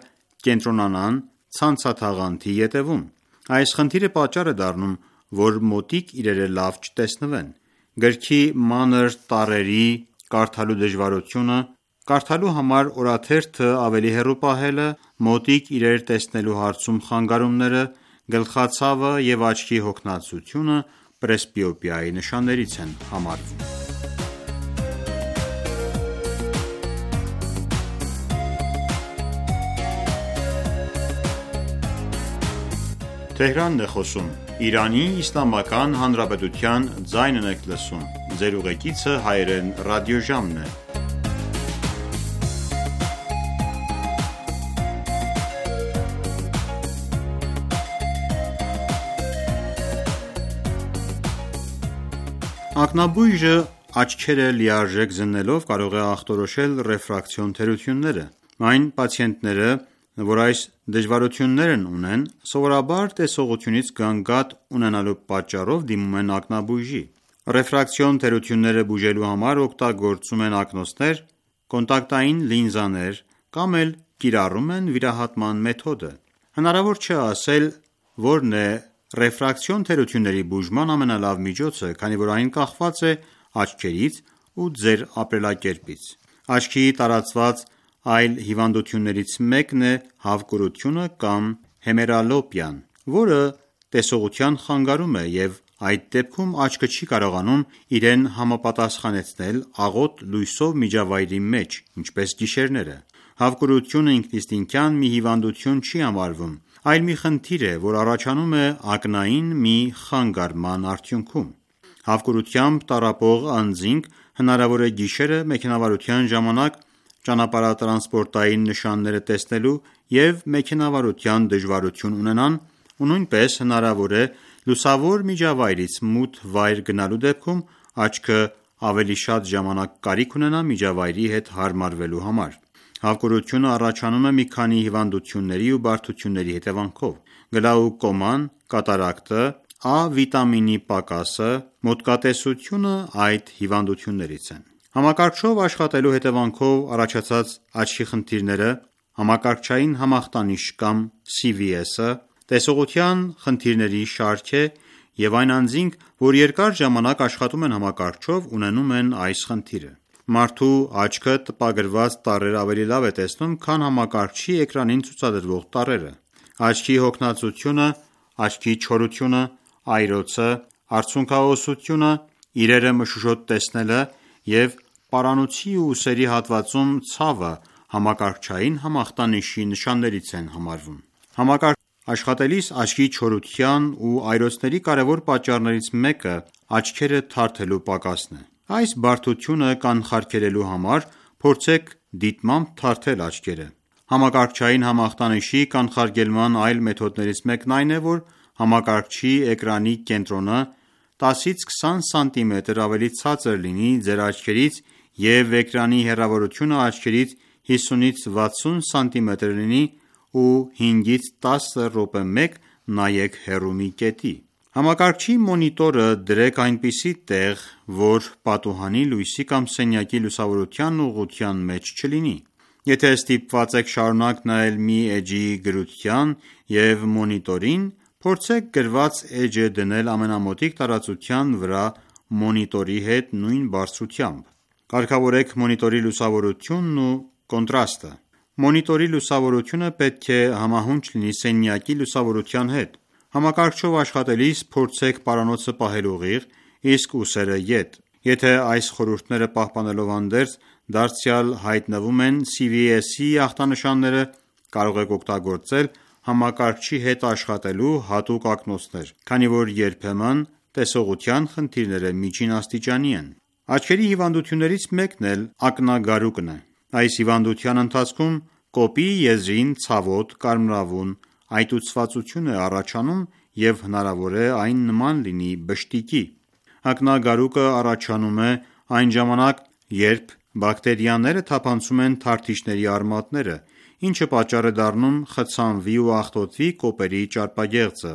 կենտրոնանան ցանցաթաղանթի ետևում։ Այս խնդիրը պատճառ է դառնում, որ մոտիկ իրերը լավ չտեսնվեն։ Գրքի մանր տառերի կարդալու դժվարությունը, կարդալու համար օրաթերթը ավելի հեռու պահելը, մոտիկ իրեր տեսնելու հարցում խանգարումները, գլխացավը և աչքի հոգնածությունը պրեսբիոպիայի նշաններից են համարվում։ Ակնաբույժը աչքերը լիարժեք զննելով կարող է ախտորոշել ռեֆրակցիոն թերությունները։ Այն պացիենտները, որ այս դժվարություններն ունեն, սովորաբար տեսողությունից գանգատ ունենալու պատճառով դիմում են ակնաբույժի։ Ռեֆրակցիոն թերությունները բուժելու համար օգտագործում են ակնոցներ, կոնտակտային լինզաներ կամ էլ կիրառում են վիրահատման մեթոդը։ Հնարավոր չէ ասել որն է ռեֆրակցիոն թերությունների բուժման ամենալավ միջոցը, քանի որ այն կախված է աչքերից ու ձեր ապրելակերպից։ Աչքի տարածված այլ հիվանդություններից մեկն է հավկուրությունը կամ հեմերալոպիան, որը տեսողության խանգարում է և այդ դեպքում աչքը չի կարողանում իրեն համապատասխանեցնել աղոտ լույսով միջավայրի մեջ, ինչպես գիշերները։ Հավկուրությունը ինքնիստինքյան մի հիվանդություն չի համարվում, այլ մի խնդիր է, որ առաջանում է ակնային մի խանգարման արդյունքում։ Հավկուրությամբ տառապող անձինք հնարավոր է գիշերը մեքենավարության ժամանակ ճանապարհատրանսպորտային նշանները տեսնելու և մեքենավարության դժվարություն ունենան ու նույնպես հնարավոր է լուսավոր միջավայրից մութ վայր գնալու դեպքում աչքը ավելի շատ ժամանակ կարիք ունենա միջավայրի հետ հարմարվելու համար։ Հավկուրությունը առաջանում է մի քանի հիվանդությունների ու բարդությունների հետևանքով։ Գլաուկոման, կատարակտը, A վիտամինի պակասը, մոտկատեսությունը այդ հիվանդություններից են։ Համակարգչով աշխատելու հետևանքով առաջացած աչքի խնդիրները, համակարգչային համախտանիշ կամ CVS-ը, տեսողության խնդիրների շարք է և այն անձինք, որ երկար ժամանակ աշխատում են համակարգչով, ունենում են այս խնդիրը։ Մարդու աչքը տպագրված տառեր ավելի լավ է տեսնում, քան համակարգչի էկրանին ցուցադրվող տառերը։ Աչքի հոգնածությունը, աչքի չորությունը, այրոցը, արցունքահոսությունը, իրերը մշուշոտ տեսնելը և պարանոցի ու ուսերի հատվածում ցավը համակարգչային համախտանիշի նշաններից են համարվում։ Համակարգչով աշխատելիս աչքի չորության ու այրոցների կարևոր պատճառներից մեկը աչքերը թարթելու պակասն է։ Այս բարդությունը կանխարգելելու համար փորձեք դիտմամբ թարթել աչքերը։ Համակարգչային համախտանիշի կանխարգելման այլ մեթոդներից մեկն այն է, որ համակարգչի էկրանի կենտրոնը 10-ից 20 սմ ավելի ցածր լինի ձեր աչքերից և էկրանի հեռավորությունը աչքերից 50-ից 60 սմ լինի ու 5-ից 10 րոպե մեկ նայեք հեռու մի կետի։ Համակարգչի մոնիտորը դրեք այնպիսի տեղ, որ պատուհանի լույսի կամ սենյակի լուսավորության ուղղության մեջ չլինի։ Եթե ստիպված եք շարունակ նայել մի էջի գրության և մոնիտորին, փորձեք գրված էջը դնել ամենամոտիկ տարածության վրա մոնիտորի հետ նույն բարձրությամբ։ Կարգավորեք մոնիտորի լուսավորությունն ու կոնտրաստը։ Մոնիտորի լուսավորությունը պետք է համահունչ լինի սենյակի լուսավորության հետ։ Համակարգչով աշխատելիս փորձեք պարանոցը պահել ուղիղ, իսկ ուսերը ետ։ Եթե այս խորհուրդները պահպանելով հանդերձ դարձյալ հայտնվում են CVS-ի ախտանշանները, կարող եք օգտագործել համակարգչի հետ աշխատելու հատուկ ակնոցներ, քանի որ երբեմն տեսողության խնդիրները միջին աստիճանի են։ Աչքերի հիվանդություններից մեկն էլ ակնագարուկն է։ Այս հիվանդության ընթացքում կոպի եզրին ցավոտ, կարմրավուն այտուցվածություն է առաջանում և հնարավոր է այն նման լինի բշտիկի։ Ակնագարուկը առաջանում է այն ժամանակ, երբ բակտերիաները թափանցում են թարթիչների արմատները, ինչը պատճառ է դառնում խցանվի ու աղտոտվի կոպերի ճարպագեղձը։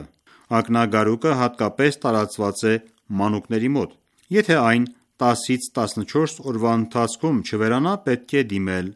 Ակնագարուկը հատկապես տարածված է մանուկների մոտ։ Եթե այն 10-ից 14 օրվա ընթացքում չվերանա, պետք է դիմել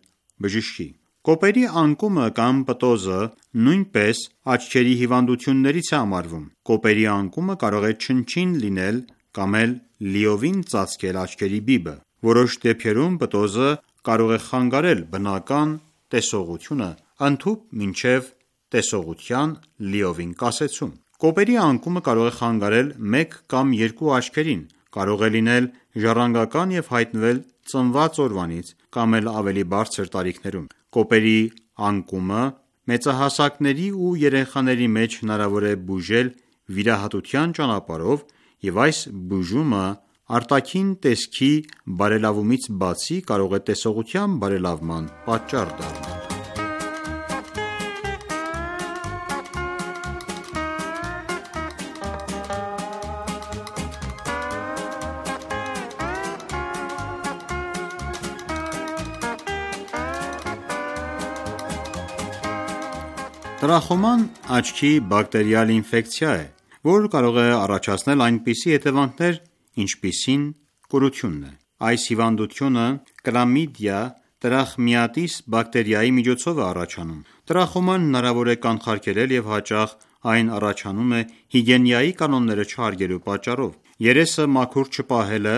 բժշկի։ Կոպերի անկումը կամ պտոզը նույնպես աչքերի հիվանդություններից է համարվում։ Կոպերի անկումը կարող է չնչին լինել կամ էլ լիովին ծածկել աչքերի բիբը։ Որոշ դեպքերում պտոզը կարող է խանգարել բնական տեսողությունը, ընդհուպ մինչև տեսողության լիովին կասեցում։ Կոպերի անկումը կարող է խանգարել մեկ կամ երկու աչքերին, կարող է լինել ժառանգական և հայտնվել ծնված օրվանից կամ էլ ավելի բարձր տարիքներում։ Կոպերի անկումը մեծահասակների ու երեխաների մեջ հնարավոր է բուժել վիրահատության ճանապարհով և այս բուժումը արտաքին տեսքի բարելավումից բացի կարող է տեսողության բարելավման պատճառ դառնալ։ Տրախոման աչքի բակտերիալ ինֆեկցիա է, որը կարող է առաջացնել այնպիսի հետևանքներ, ինչպիսին կուրությունն է։ Այս հիվանդությունը Chlamydia trachomatis բակտերիայի միջոցով է առաջանում։ Տրախոման հնարավոր է կանխարգելել և հաճախ այն առաջանում է հիգիենայի կանոնները չհարգելու պատճառով։ Երեսը մաքուր չպահելը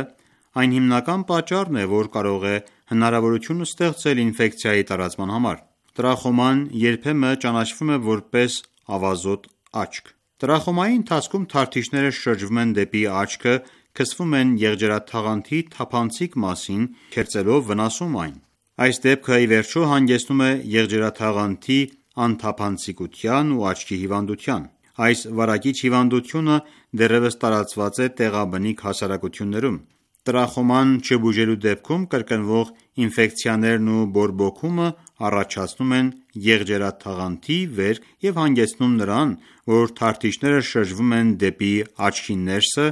այն հիմնական պատճառն է, որ կարող է հնարավորություն ստեղծել ինֆեկցիայի տարածման համար։ Տրախոման երբեմն ճանաչվում է որպես ավազոտ աչք։ Տրախոմայի ընթացքում թարթիչները շրջվում են դեպի աչքը, քսվում են եղջերաթաղանթի թափանցիկ մասին, քերծելով վնասում այն։ Այս դեպքը ի վերջո հանգեցնում է եղջերաթաղանթի անթափանցիկության ու աչքի հիվանդության։ Այս վարակիչ հիվանդությունը դեռևս տարածված է տեղաբնիկ հասարակություններում։ Տրախոման չբուժելու դեպքում կրկնվող ինֆեկցիաներն ու բորբոքումը առաջացնում են եղջերաթաղանթի վերք և հանգեցնում նրան, որ թարթիչները շրջվում են դեպի աչքի ներսը,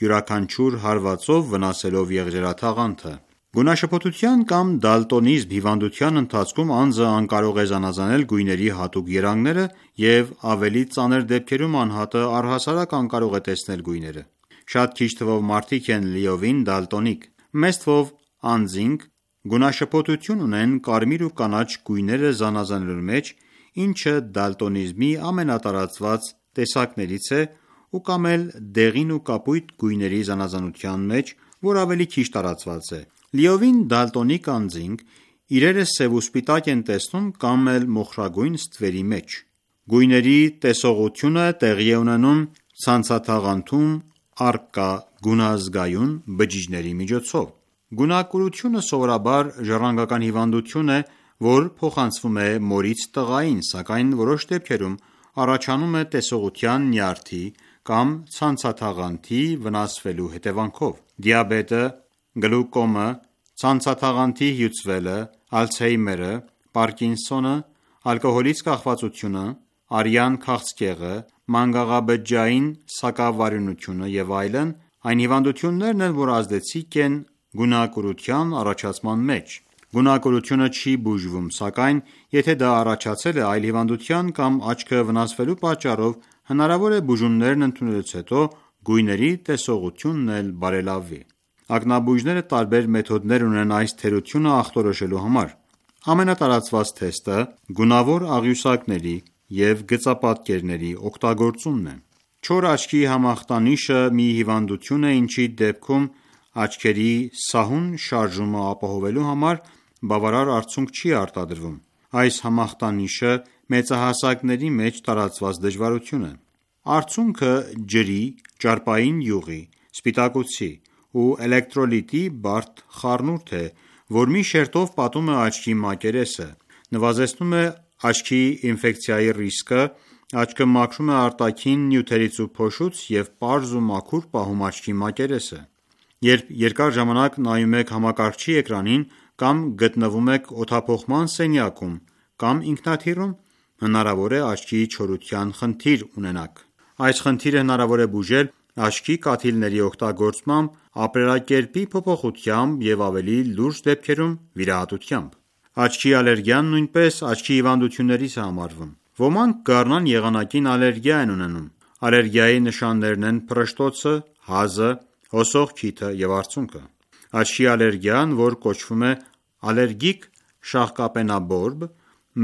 յուրաքանչյուր հարվածով վնասելով եղջերաթաղանթը։ Գունաշփոթության կամ դալտոնիզմ հիվանդության ընթացքում անձը անկարող է զանազանել գույների հատուկ երանգները և ավելի ծանր դեպքերում անհատը առհասարակ անկարող է տեսնել գույները։ Շատ քիչ թվով մարդիկ են լիովին դալտոնիկ։ Մեծ թվով անձինք գունաշփոթություն ունեն կարմիր ու կանաչ գույները զանազանելու մեջ, ինչը դալտոնիզմի ամենատարածված տեսակներից է, կամ էլ դեղին ու կապույտ գույների զանազանության մեջ, որ ավելի քիչ տարածված է։ Լիովին դալտոնիկ անձինք իրերը սև ու սպիտակ են տեսնում կամ էլ մոխրագույն ստվերի մեջ։ Գույների տեսողությունը տեղի է ունենում ցանցաթաղանթում առկա գունազգայուն բջիջների միջոցով։ Գունակուրությունը սովորաբար ժառանգական հիվանդություն է, որ փոխանցվում է մորից տղային, սակայն որոշ դեպքերում առաջանում է տեսողության նյարդի կամ ցանցաթաղանթի վնասվելու հետևանքով։ Դիաբետը, գլյուկոմը, ցանցաթաղանթի հյուծվելը, ալցհեյմերը, պարկինսոնը, ալկոհոլից կախվածությունը, արյան քաղցկեղը, մանգաղաբջջային սակավարյունությունը և այլն այն հիվանդություններն են, որ ազդեցիկ են գունակուրության առաջացման մեջ։ Գունակուրությունը չի բուժվում, սակայն եթե դա առաջացել է այլ հիվանդության կամ աչքը վնասվելու պատճառով, հնարավոր է բուժումներն ընդունելուց հետո գույների տեսողությունն էլ բարելավվի։ Ակնաբույժները տարբեր մեթոդներ ունեն այս թերությունը ախտորոշելու համար։ Ամենատարածված թեստը գունավոր աղյուսակների և գծապատկերների օգտագործումն է։ Չոր աչքի համախտանիշը մի հիվանդություն է, ինչի դեպքում աչքերի սահուն շարժումը ապահովելու համար բավարար արդյունք չի արտադրվում։ Այս համախտանիշը մեծահասակների մեջ տարածված դժվարություն է։ Արդյունքը ջրի, ճարպային յուղի, սպիտակուցի ու էլեկտրոլիտի բարդ խառնուրդ է, որ մի շերտով պատում է աչքի մակերեսը, նվազեցնում է աչքի ինֆեկցիայի ռիսկը, աչքը մաքրում է արտաքին նյութերից ու փոշուց և պարզ ու մաքուր պահում աչքի մակերեսը։ Երբ երկար ժամանակ նայում եք համակարգչի էկրանին կամ գտնվում եք օդափոխման սենյակում կամ ինքնաթիռում, հնարավոր է աչքի չորության խնդիր ունենաք: Այս խնդիրը հնարավոր է բուժել աչքի կաթիլների օգտագործմամբ, ապրելակերպի փոփոխությամբ և ավելի լուրջ դեպքերում վիրահատությամբ: Աչքի ալերգիան նույնպես աչքի հիվանդություններից է համարվում: Ոմանք գարնան եղանակին ալերգիա են ունենում: Ալերգիայի նշաններն են փռշտոցը, հազը, հոսող քիթը և արցունքը: Աչքի ալերգիան, որ կոչվում է ալերգիկ շաղկապենաբորբ,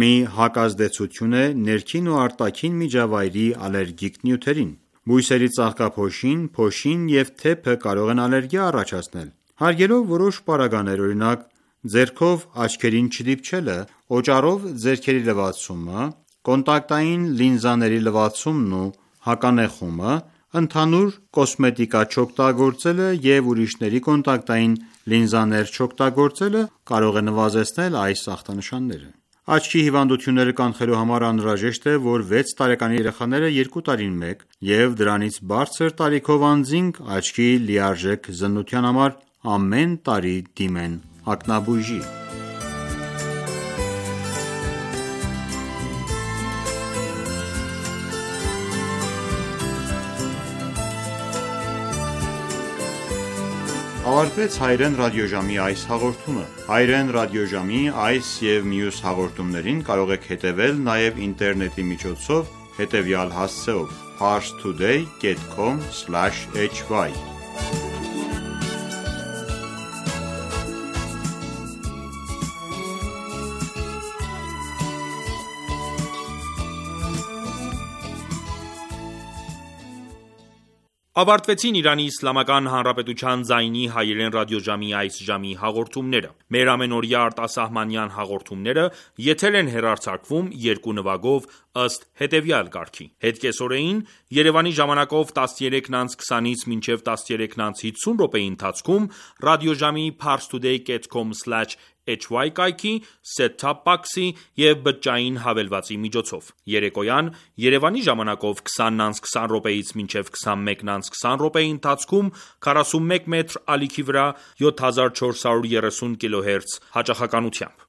մի հակազդեցություն է ներքին ու արտաքին միջավայրի ալերգիկ նյութերին: Բույսերի ծաղկափոշին, փոշին և թեփը կարող են ալերգիա առաջացնել: Հարգելով որոշ պարագաներ, օրինակ ձեռքով աչքերին չդիպչելը, օճառով ձեռքերի լվացումը, կոնտակտային լինզաների լվացումն ու հականեխումը, ընդհանուր կոսմետիկա չօգտագործելը և ուրիշների կոնտակտային լինզաներ չօգտագործելը կարող է նվազեցնել այս ախտանշանները: Աչքի հիվանդությունները կանխելու համար անհրաժեշտ է, որ 6 տարեկան երեխաները 2 տարին մեկ և դրանից բարձր տարիքով անձինք աչքի լիարժեք զննության համար ամեն տարի դիմեն ακնաբույժի: Ավարտվեց հայերեն ռադիոժամի այս հաղորդումը: Հայերեն ռադիոժամի այս և մյուս հաղորդումներին կարող եք հետևել նաև ինտերնետի միջոցով հետևյալ հասցեով՝ parstoday.com/hy Ավարտվեցին Իրանի Իսլամական Հանրապետության ձայնի հայերեն ռադիոժամի այս ժամի հաղորդումները: Մեր ամենօրյա արտասահմանյան հաղորդումները եթեր են հեռարձակվում երկու նվագով ըստ հետևյալ կարգի: Հետկեսօրեին Երևանի ժամանակով 13:20-ից մինչև 13:50 րոպեի ընթացքում ռադիոժամի parstoday.com/hy կայքի, set-top box-ի և բջջային հավելվածի միջոցով: Երեկոյան Երևանի ժամանակով 20:20 րոպեից մինչև 21:20 րոպեի ընթացքում 41 մետր ալիքի վրա 7430 կՎհ հաճախականությամբ: